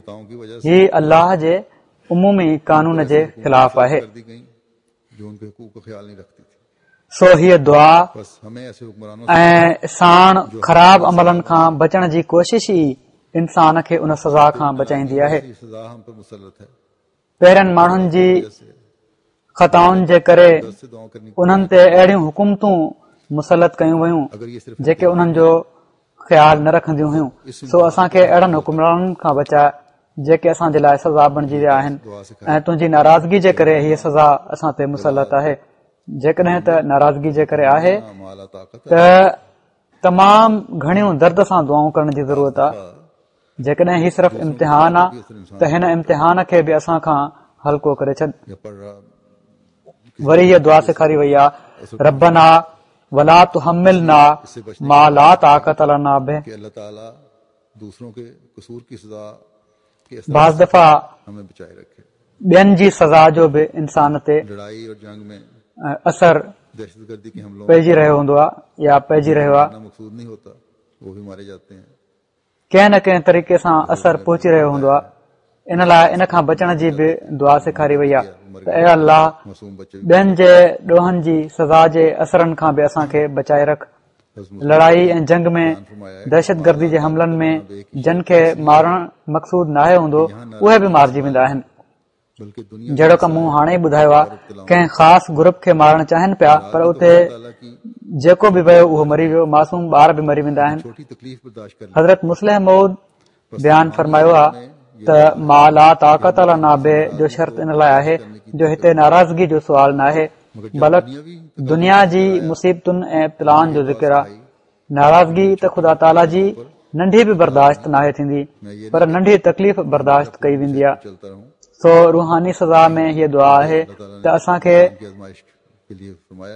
هي الله جي عمومي قانون جي خلاف آهي. سو هيء دعا ۽ ساڻ خراب عملن کان بچڻ جي ڪوشش ئي انسان کي ان سزا کان بچائيندي آهي. پهرين ماڻهن جي خطائن جي ڪري انهن تي اهڙيون حڪومتون مسلط ڪيون ويون جيڪي انهن جو خيال نه رکنديون هيون سو اسان کي اهڙن حڪمرانن کان بچاء جيڪي اسان جي لاء سزا بڻجي ويا آهن ۽ تنهنجي ناراضگي جي ڪري هيء سزا اسان تي مسلط آهي جيڪڏهن ته ناراضگي جي ڪري آهي ته تمام گهڻيون درد سان دعائون ڪرڻ جي ضرورت آهي جيڪڏهن هي صرف امتحان آ ته هن امتحان کي به اسان کان هلڪو ڪري ڇڏ. وري هيء دعا سيکاري وئي آ، ربنا ولا تحملنا ما لا طاقت لنا به. بعض دفعا ٻين جي سزا جو به انسان تي اثر پئجي رهيو هوندو آ يا پئجي رهيو آ. ڪنهن نه ڪنهن طريقي سان اثر پهچي رهيو هوندو آهي ان لاء ان کان بچڻ جي به دعا سيکاري وئي آهي ته اي الله ٻين جي ڏوهن جي سزا جي اثرن کان به اسان کي بچائي رک لڙائي ۽ جنگ ۾ دهشت گردي جي حملن ۾ جن کي مارڻ مقصود ناهي هوندو اهي به مارجي ويندا آهن جهڙوڪ مون هاڻي ئي ٻڌايو آهي ڪنهن خاص گروپ کي مارڻ چاهين پيا پر اتي جيڪو به ويو اهو مري ويو معصوم ٻار به مري ويندا آهن حضرت مصلح موعود بيان فرمايو آهي ته ما لا طاقت لنا به جو شرط ان لاء آهي جو هتي ناراضگي جو سوال ناهي بلڪ دنيا جي مصيبتن ۽ ابتلائن جو ذڪر آهي ناراضگي ته خدا تعاليٰ جي ننڍي به برداشت ناهي ٿيندي پر ننڍي تڪليف برداشت ڪئي ويندي آهي سو روحاني سزا ۾ هيء دعا آهي ته اسان کي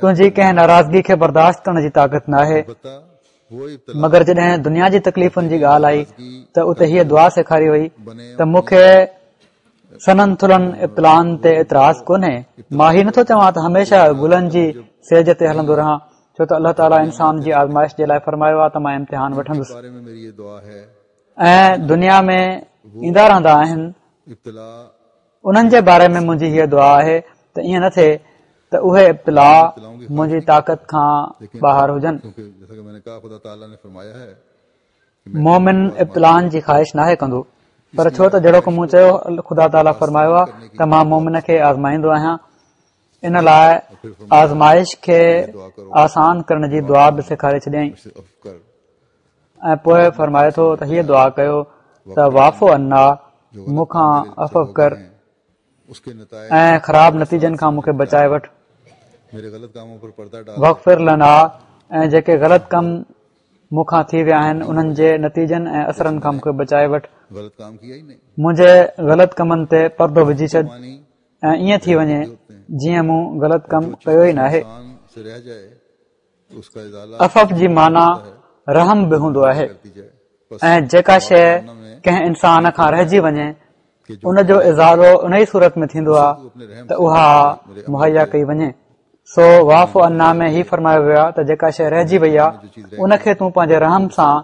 تنهنجي ڪنهن ناراضگي کي برداشت ڪرڻ جي طاقت ناهي مگر جڏهن دنيا جي تڪليفن جي ڳالهه آئي ته اتي هيء دعا سيکاري وئي ته مون کي سنهن ٿلهن ابتلائن تي اعتراض ڪونهي. مان هي نٿو چوان ته هميشه گلن جي سيج تي هلندو رهان، ڇو ته الله تعاليٰ انسان جي آزمائش جي لاء فرمايو آهي ته مان امتحان وٺندس. ۽ دنيا ۾ ايندا رهندا آهن، انهن جي باري ۾ منهنجي هيء دعا آهي ته ائين نه ٿئي ته ته اهي ابتلا منهنجي طاقت کان ٻاهر هجن. مؤمن ابتلائن جي خواهش ناهي ڪندو پر ڇو ته جهڙوڪ مون چيو خدا تعاليٰ فرمايو آهي ته مان مؤمن کي آزمائيندو آهيان ان لاء آزمائش کي آسان ڪرڻ جي دعا به سيکاري ڇڏيائين ۽ پوء فرمائي ٿو ته هيء دعا ڪيو ته واعف عنا مون کان عفو ڪر ۽ خراب نتيجن کان مون کي بچائي وٺ واغفر لنا ۽ جيڪي غلط ڪم مون کان ٿي ويا آهن انهن جي نتيجن ۽ اثرن کان مون کي بچائي وٺ منهنجي غلط ڪمن تي پردو وجهي ڇڏ ۽ ائين ٿي وڃي جيئن مون غلط ڪم ڪيو ئي ناهي عفو جي معنيٰ رحم به هوندو آهي ۽ جيڪا شيء ڪنهن انسان کان رهجي وڃي ان جو ازالو ان ئي صورت ۾ ٿيندو آهي ته اها مهيا ڪئي وڃي سو واعف عنا ۾ هي فرمايو ويو آهي ته جيڪا شيء رهجي وئي آهي ان کي تون پنهنجي رحم سان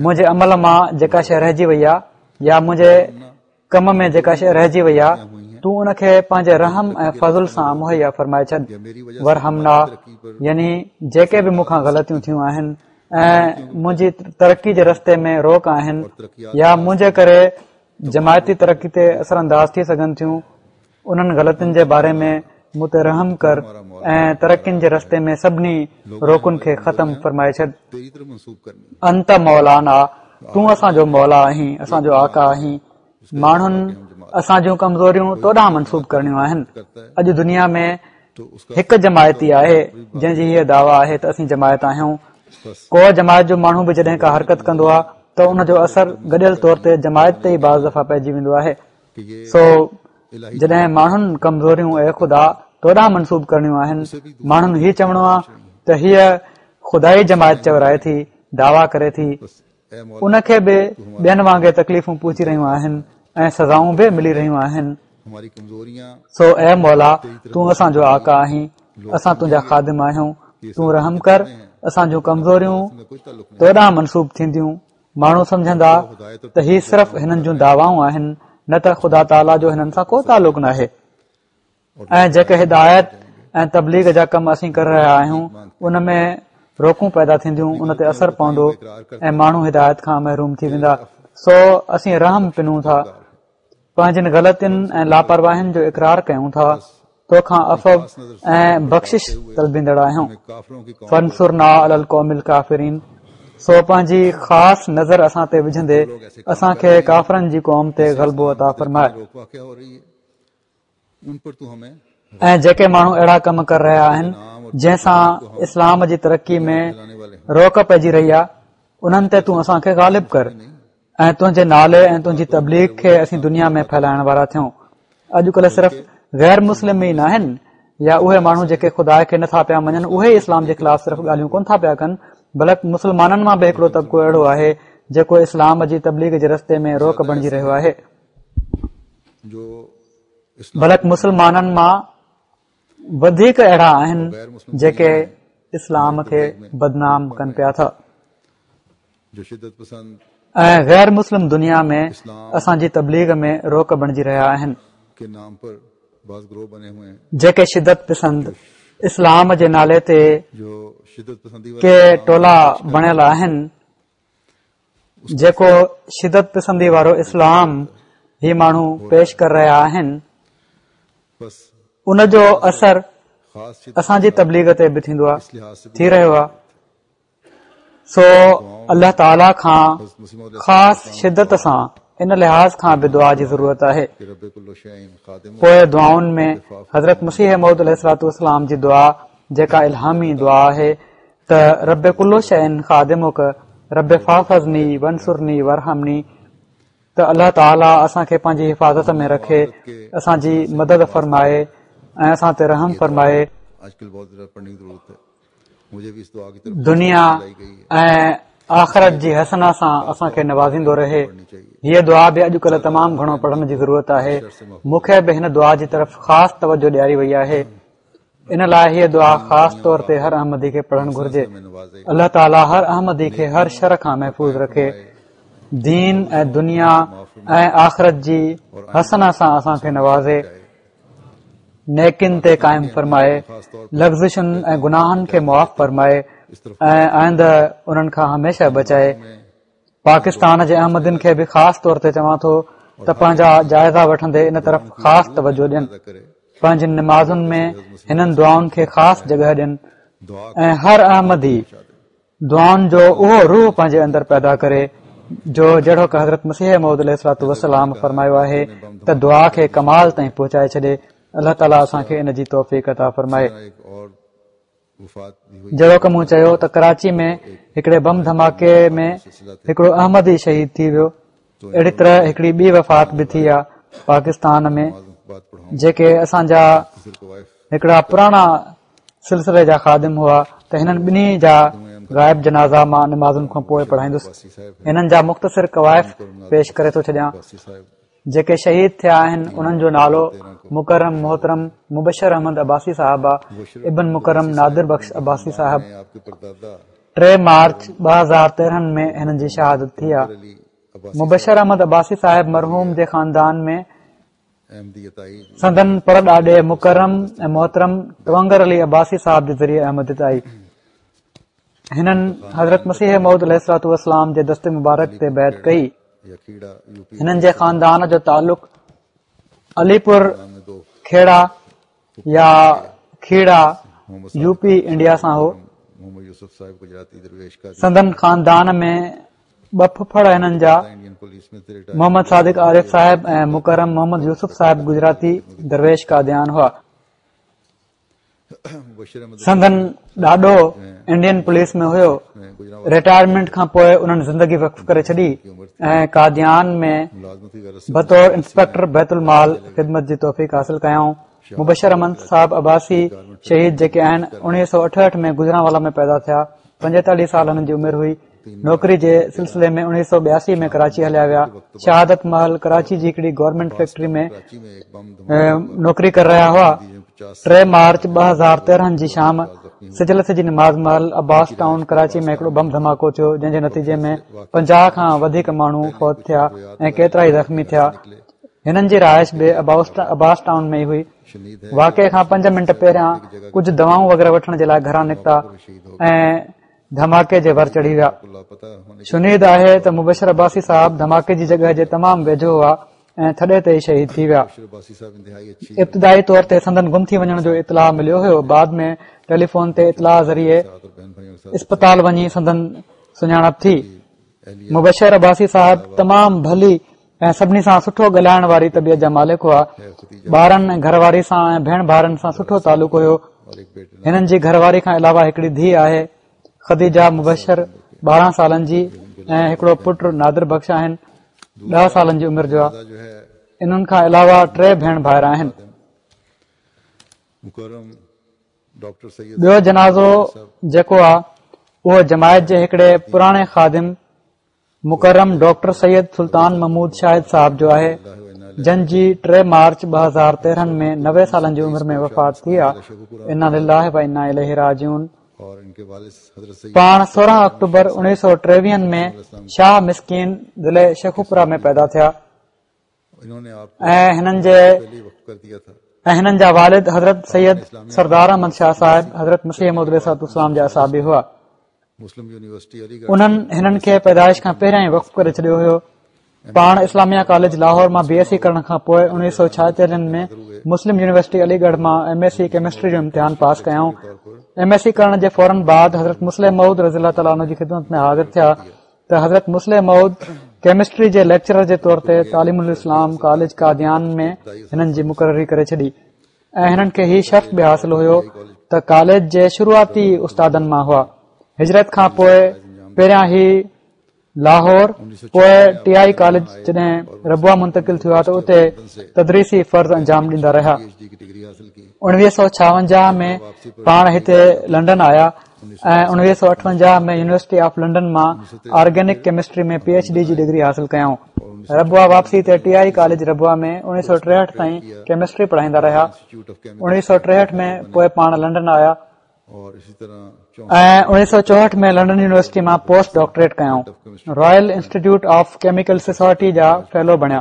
منهنجي عمل مان جيڪا شيء رهجي وئي آهي يا منهنجي ڪم ۾ جيڪا شيء رهجي وئي آهي تون ان کي پنهنجي رحم ۽ فضل سان مهيا فرمائي ڇڏ وارحمنا يعني جيڪي به مون کان غلطيون ٿيون آهن ۽ منهنجي ترقي جي رستي ۾ روڪ آهن يا منهنجي ڪري جماعتي ترقي تي اثر انداز ٿي سگهن ٿيون انهن غلطين جي باري ۾ مون تي رحم ڪر ۽ ترقين جي رستي ۾ سڀني روڪن کي ختم فرمائي ڇڏ. انت مولانا، تون اسان جو مولا آهين، اسان جو آقا آهين. ماڻهن اسان جون ڪمزوريون تو ڏانهن منسوب ڪرڻيون آهن. اڄ دنيا ۾ هڪ جماعت ئي آهي، جنهن جي هيء دعويٰ آهي ته اسين جماعت آهيون. ڪو جماعت جو ماڻهو به جڏهن ڪا حرڪت ڪندو آهي ته ان جو اثر گڏيل طور تي جماعت تي ئي بعض دفعا پئجي ويندو آهي. سو جڏهن ماڻهن ڪمزوريون اي خدا تو ڏانهن منسوب ڪرڻيون آهن، ماڻهن هي چوڻو آهي ته هيء خدائي جماعت چورائي ٿي، دعويٰ ڪري ٿي، ان کي به ٻين وانگي تڪليفون پهچي رهيون آهن ۽ سزائون به ملي رهيون آهن. سو اي مولا تون اسان جو آقا آهين، اسان تنهنجا خادم آهيون، تون رحم ڪر، اسان جون ڪمزوريون تو ڏانهن منسوب ٿينديون، ماڻهو سمجهندا ته هي صرف هنن جون دعوائون آهن نه ته خدا تعاليٰ جو هنن سان ڪو تعلق ناهي ۽ جيڪي هدايت ۽ تبليغ جا ڪم اسين ڪري رهيا آهيون ان ۾ روڪون پيدا ٿينديون ان تي اثر پوندو ۽ ماڻهو هدايت کان محروم ٿي ويندا سو اسين رحم پنون ٿا پنهنجين غلطين ۽ لاپرواهين جو اقرار ڪيون ٿا، تو کان عفو ۽ بخشش طلبيندڙ آهيون. فانصرنا علي القوم الڪافرين سو پنهنجي خاص نظر اسان تي وجهندي اسان کي ڪافرن جي قوم تي غلبو عطا فرماء. ۽ جيڪي ماڻهو اهڙا ڪم ڪري رهيا آهن جنهن سان اسلام جي ترقي ۾ روڪ پئجي رهي آهي انهن تي تون اسان کي غالب ڪر ۽ تنهنجي نالي ۽ تنهنجي تبليغ کي اسين دنيا ۾ ڦهلائڻ وارا ٿيون اڄڪلهه صرف غير مسلم ئي ناهن يا اهي ماڻهو جيڪي خدا کي نٿا پيا مڃن اهي ئي اسلام جي خلاف صرف ڳالهيون ڪونه ٿا پيا ڪن بلڪ مسلمانن مان به هڪڙو طبقو اهڙو آهي جيڪو اسلام جي تبليغ جي رستي ۾ روڪ بڻجي رهيو آهي بلڪ مسلمانن مان وڌيڪ اهڙا آهن جيڪي اسلام کي بدنام ڪن پيا ٿا ۽ غير مسلم دنيا ۾ اسان جي تبليغ ۾ روڪ بڻجي رهيا آهن جيڪي شدت پسند اسلام جي نالي تي ڪي ٽولا بڻيل آهن جيڪو شدت پسندي وارو اسلام هي ماڻهو پيش ڪري رهيا آهن ان جو اثر اسان جي تبليغ تي به ٿيندو آهي ٿي رهيو آهي سو الله تعاليٰ کان خاص شدت سان ان لحاظ کان به دعا جي ضرورت آهي پوء دعائن ۾ حضرت مسيح موعود عليه الصلوة والسلام جي دعا جيڪا الهامي دعا آهي ته رب ڪل شيء خادمڪ رب فاحفظني وانصرني وارحمني ته الله تعاليٰ اسان کي پنهنجي حفاظت ۾ رکي اسان جي مدد فرمائي ۽ اسان تي رحم فرمائي دنيا ۽ آخرت جي حسنه سان اسان کي نوازيندو رهي هيء دعا به اڄڪلهه تمام گهڻو پڙهڻ جي ضرورت آهي مون کي به هن دعا جي طرف خاص توجه ڏياري وئي آهي ان لاء هيء دعا خاص طور تي هر احمدي کي پڙهڻ گهرجي الله تعاليٰ هر احمدي کي هر شر کان محفوظ رکي دين ۽ دنيا ۽ آخرت جي حسنه سان اسان کي نوازي. نيڪين تي قائم فرمائي، لغزشن ۽ گناهن کي معاف فرمائي ۽ آئنده انهن کان هميشه بچائي. پاڪستان جي احمدين کي به خاص طور تي چوان ٿو ته پنهنجا جائزا وٺندي ان طرف خاص توجه ڏين، پنهنجين نمازن ۾ هنن دعائن کي خاص جڳهه ڏين ۽ هر احمدي دعائن جو اهو روح پنهنجي اندر پيدا ڪري جو جهڙوڪ حضرت مسيح موعود عليه الصلوة والسلام فرمايو آهي ته دعا کي ڪمال تائين پهچائي ڇڏي. الله تعاليٰ اسان کي ان جي توفيق عطا فرمائي. جهڙوڪ مون چيو ته ڪراچي ۾ هڪڙي بم ڌماڪي ۾ هڪڙو احمدي شهيد ٿي ويو. اهڙي طرح هڪڙي ٻي وفات به ٿي آ پاڪستان ۾ جيڪي اسان جا هڪڙا پراڻا سلسلي جا خادم هئا ته هنن ٻنهي جا غائب جنازا مان نمازن کان پوء پڙهائيندس. هنن جا مختصر ڪوائف پيش ڪري ٿو ڇڏيان. جيڪي شهيد ٿيا آهن انهن جو نالو مڪرم محترم مبشر احمد عباسي صاحب آ ابن مڪرم نادر بخش عباسي صاحب 3 مارچ 2013 ۾ هنن جي شهادت ٿي آ. مبشر احمد عباسي صاحب مرحوم جي خاندان ۾ سندن پڙ ڏاڏي مڪرم ۽ محترم تونگر علي عباسي صاحب جي ذريعي احمديت آئي. هنن حضرت مسيح موعود عليه الصلوة والسلام جي دست مبارڪ تي بيعت ڪئي. هنن جي خاندان جو تعلق علي پور کيڙا يا کيڙا يو پي انڊيا سان هو. سندن خاندان ۾ ٻه ڦڦڙ هنن جا محمد صادق عارف صاحب ۽ مڪرم محمد يوسف صاحب گجراتي درويش قاديان هئا. سندن ڏاڏو انڊين پوليس ۾ هيو. رٽائرمينٽ کان پوء انهن زندگي وقف ڪري ڇڏي ۽ قاديان ۾ بطور انسپيڪٽر بيت المال خدمت جي توفيق حاصل ڪيائون. مبشر احمد صاحب عباسي شهيد جيڪي آهن 1968 ۾ گجرانوالا ۾ پيدا ٿيا. 45 سال هنن جي عمر هئي. نوڪري جي سلسلي ۾ 1982 ۾ ڪراچي هليا ويا. شهادت مهل ڪراچي جي هڪڙي گورنمينٽ فيڪٽري ۾ نوڪري ڪري رهيا هئا. 3 مارچ 2013 جي شام سج لٿي جي نماز مهل عباس ٽائون ڪراچي ۾ هڪڙو بم ڌماڪو ٿيو جنهن جي نتيجي ۾ 50 کان وڌيڪ ماڻهو فوت ٿيا ۽ ڪيترائي زخمي ٿيا. هنن جي رهائش به عباس ٽائون ۾ ئي هئي. واقعي کان پنج منٽ پهريان ڪجهه دوائون وغيره وٺڻ جي لاء گهران نڪتا ۽ ڌماڪي جي ور چڙهي ويا. شنيد آهي ته مبشر عباسي صاحب ڌماڪي جي جڳهه جي تمام ويجهو هئا ۽ ٿڏي تي ئي شهيد ٿي ويا. ابتدائي طور تي سندن گم ٿي وڃڻ جو اطلاع مليو هيو بعد ۾ ٽيليفون تي اطلاع ذريعي اسپتال وڃي سندن سڃاڻپ ٿي. مبشر عباسي صاحب تمام ڀلي ۽ سڀني سان سٺو ڳالهائڻ واري طبيعت جا مالڪ هئا. ٻارن ۽ گهر واري سان ۽ ڀيڻ ڀائرن سان سٺو تعلق هيو. هنن جي گهر واري کان علاوه هڪڙي ڌيء آهي خديجه مبشر 12 سالن جي ۽ هڪڙو پٽ نادر بخش آهن 10 سالن جي عمر جو آهي. انهن کان علاوه ٽي ڀيڻ ڀائر آهن. ٻيو جنازو جيڪو آهي اهو جماعت جي هڪڙي پراڻي خادم مڪرم ڊاڪٽر سيد سلطان محمود شاهد صاحب جو آهي جن جي 3 مارچ 2013 ۾ 90 سالن جي عمر ۾ وفات ٿي آ. انا لله و انا اليه راجعون. پاڻ 16 آڪٽوبر 1923 ۾ شاهه مسڪين ضلعي شيخوپورا ۾ پيدا ٿيا. ۽ هنن جي ۽ هنن جا والد حضرت سيد سردار احمد شاهه صاحب حضرت مسيح موعود عليه الصلوة والسلام جا اصحابي هئا. انهن هنن کي پيدائش کان پهريان ئي وقف ڪري ڇڏيو هيو. پاڻ اسلاميه ڪاليج لاهور مان بي ايس سي ڪرڻ کان پوء 1946 ۾ مسلم يونيورسٽي علي ڳڙهه مان ايم ايس سي ڪيمسٽري جو امتحان پاس ڪيائون. ايم ايس سي ڪرڻ جي فورن بعد حضرت مصلح موعود رضي الله تعاليٰ عنه جي خدمت ۾ حاضر ٿيا ته حضرت مصلح موعود ڪيمسٽري جي ليڪچرر جي طور تي تعليم الاسلام ڪاليج قاديان ۾ هنن جي مقرري ڪري ڇڏي ۽ هنن کي هي شرف به حاصل هيو ته ڪاليج جي شروعاتي استادن مان هئا. هجرت کان پوء پهريان هي لاهور پوء ٽي I college جڏهن ربوه منتقل ٿيو آهي ته اتي تدريسي فرض انجام ڏيندا رهيا. 1956 ۾ پاڻ هتي لنڊن آيا ۽ 1958 ۾ يونيورسٽي آف لنڊن مان organic chemistry ۾ P H D جي ڊگري حاصل ڪيائون. ربوه واپسي تي ٽي I college Rabwah ۾ 1963 تائين ڪيمسٽري پڙهائيندا رهيا. 1963 ۾ پوء پاڻ لنڊن آيا. ۽ 1964 ۾ لنڊن يونيورسٽي مان پوسٽ ڊاڪٽريٽ ڪيائون. Royal institute of chemical society جا فيلو بڻيا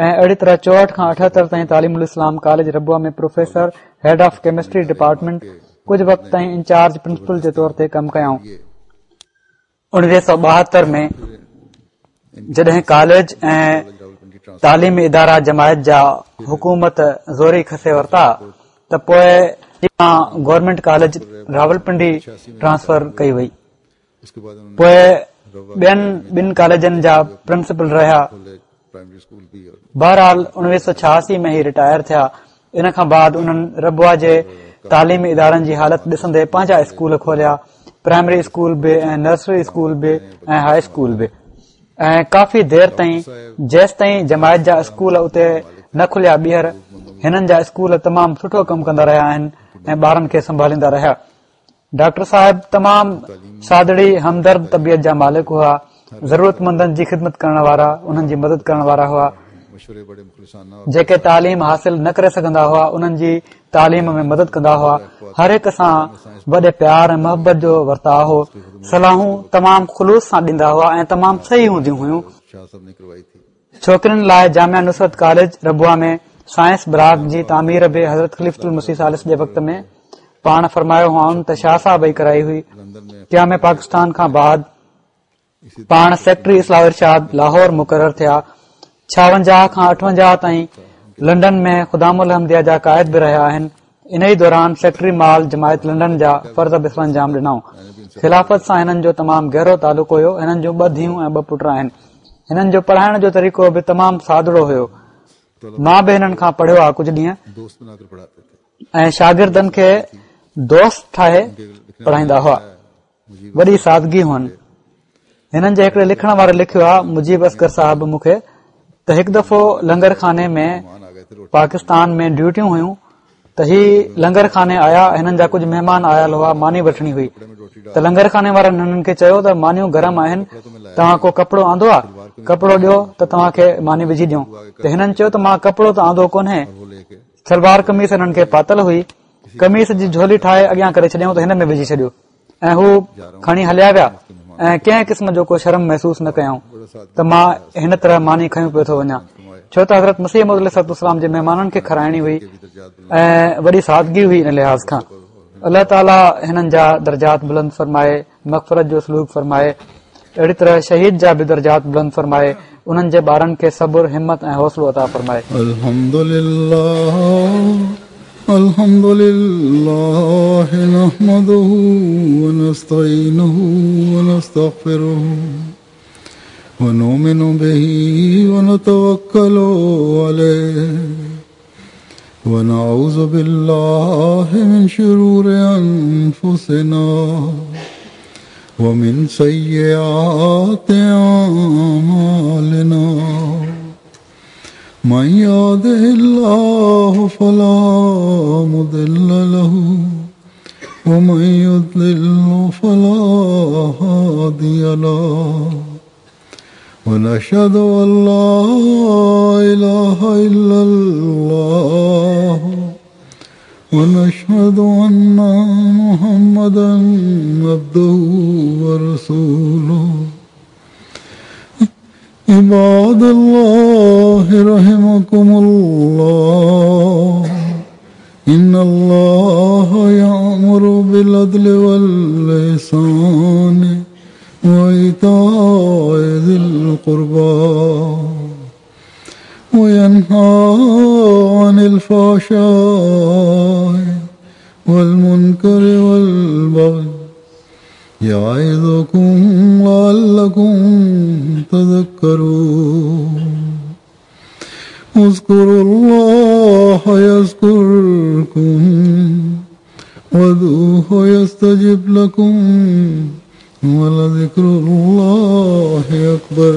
۽ اهڙي طرح 64 کان 78 تائين تعليم الاسلام college Rabwah ۾ professor, head of chemistry department, ڪجهه وقت تائين انچارج پرنسپل جي طور تي ڪم ڪيائون. 1972 ۾ جڏهن ڪاليج ۽ تعليمي ادارا جماعت جا حڪومت زوري کسي ورتا ته پوء گورنمينٽ ڪاليج راولپنڊي ٽرانسفر ڪئي وئي. پوء ٻين ٻن ڪاليجن جا پرنسپل رهيا. بهرحال 1986 ۾ هي رٽائر ٿيا. ان کان بعد انهن ربوه جي تعليمي ادارن جي حالت ڏسندي پنهنجا اسڪول کوليا، پرائمري اسڪول به ۽ نرسري اسڪول به ۽ هاء اسڪول به ۽ ڪافي دير تائين جيستائين جماعت جا اسڪول اتي نه کليا ٻيهر هنن جا اسڪول تمام سٺو ڪم ڪندا رهيا آهن ۽ ٻارن کي سنڀاليندا رهيا. ڊاڪٽر صاحب تمام سادڙي همدرد طبيعت جا مالڪ هئا ضرورتمندن جي خدمت ڪرڻ وارا انهن جي مدد ڪرڻ وارا هئا جيڪي تعليم حاصل نه ڪري سگهندا هئا انهن جي تعليم ۾ مدد ڪندا هئا هر هڪ سان وڏي پيار ۽ محبت جو ورتاء هو صلاحون تمام خلوص سان ڏيندا هئا ۽ تمام صحيح هونديون هيون ڇوڪرين لاء جامعه نصرت ڪاليج ربوه ۾ سائنس بلاڪ جي تعمير به حضرت خليفة المسيح ثالث جي وقت ۾ پاڻ فرمايو هئائون ته شاهه صاحب ئي ڪرائي هئي. قيام پاڪستان کان بعد پاڻ سيڪريٽري اصلاح و ارشاد لاهور مقرر ٿيا. 56 کان 58 تائين لنڊن ۾ خدام الاحمديه جا قائد به رهيا آهن. انهي دوران سيڪريٽري مال جماعت لنڊن جا فرض به سرانجام ڏنائون. خلافت سان هنن جو تمام گهرو تعلق هيو. هنن جون ٻه ڌيئون ۽ ٻه پٽ آهن. هنن جو پڙهائڻ جو طريقو به تمام سادڙو هيو. مان به هنن کان پڙهيو آ ڪجهه ڏينهن ۽ شاگردن کي دوست ٺاهي پڙهائيندا هئا. وڏي سادگي هئن. هنن جي هڪڙي لکڻ واري لکيو آ مجيب اصغر صاحب مون کي ته هڪ دفعو لنگر خاني ۾ پاڪستان ۾ ڊيوٽيون هيون ته هي لنگر خاني آيا هنن جا ڪجهه مهمان آيل هئا ماني وٺڻي هئي ته لنگر خاني وارن هنن کي چيو ته مانيون گرم آهن توهان ڪو ڪپڙو آندو آ ڪپڙو ڏيو ته توهان کي ماني وجهي ڏيون ته هنن چيو ته مان ڪپڙو ته آندو ڪونهي سلوار قميص هنن کي پاتل هئي قميص جي جهولي ٺاهي اڳيان ڪري ڇڏيائون ته هن ۾ وجهي ڇڏيو ۽ هو کڻي هليا ويا ۽ ڪنهن قسم جو ڪو شرم محسوس نه ڪيائون ته مان هن طرح ماني کنيو پيو ٿو وڃان ڇو ته حضرت مسيح موعود عليه الصلوة والسلام جي مهمانن کي کارائڻي هئي ۽ وڏي سادگي هئي ان لحاظ کان الله تعاليٰ هنن جا درجات بلند فرمائي مغفرت جو سلوڪ فرمائي اهڙي طرح شهيد جا به درجات بلند فرمائي انهن جي ٻارن کي صبر همت ۽ حوصلو عطا فرمائي. الحمد لله الحمد لله نحمده ونستعينه ونستغفره ونؤمن به ونتوكل عليه ونعوذ بالله من شرور أنفسنا ومن سيئات أعمالنا من يهده الله فلا مضل له ومن يضلل فلا هادي له ونشهد أن لا إله إلا الله ونشهد أن محمدا عبده ورسوله عباد الله رحمكم الله إن الله يأمر بالعدل والإحسان وإيتاء ذي القربى وينهى عن الفحشاء والمنكر والبغي يعظكم لعلكم تذكرون اذكروا الله يذكركم وادعوه يستجب لكم ولذكر الله أكبر.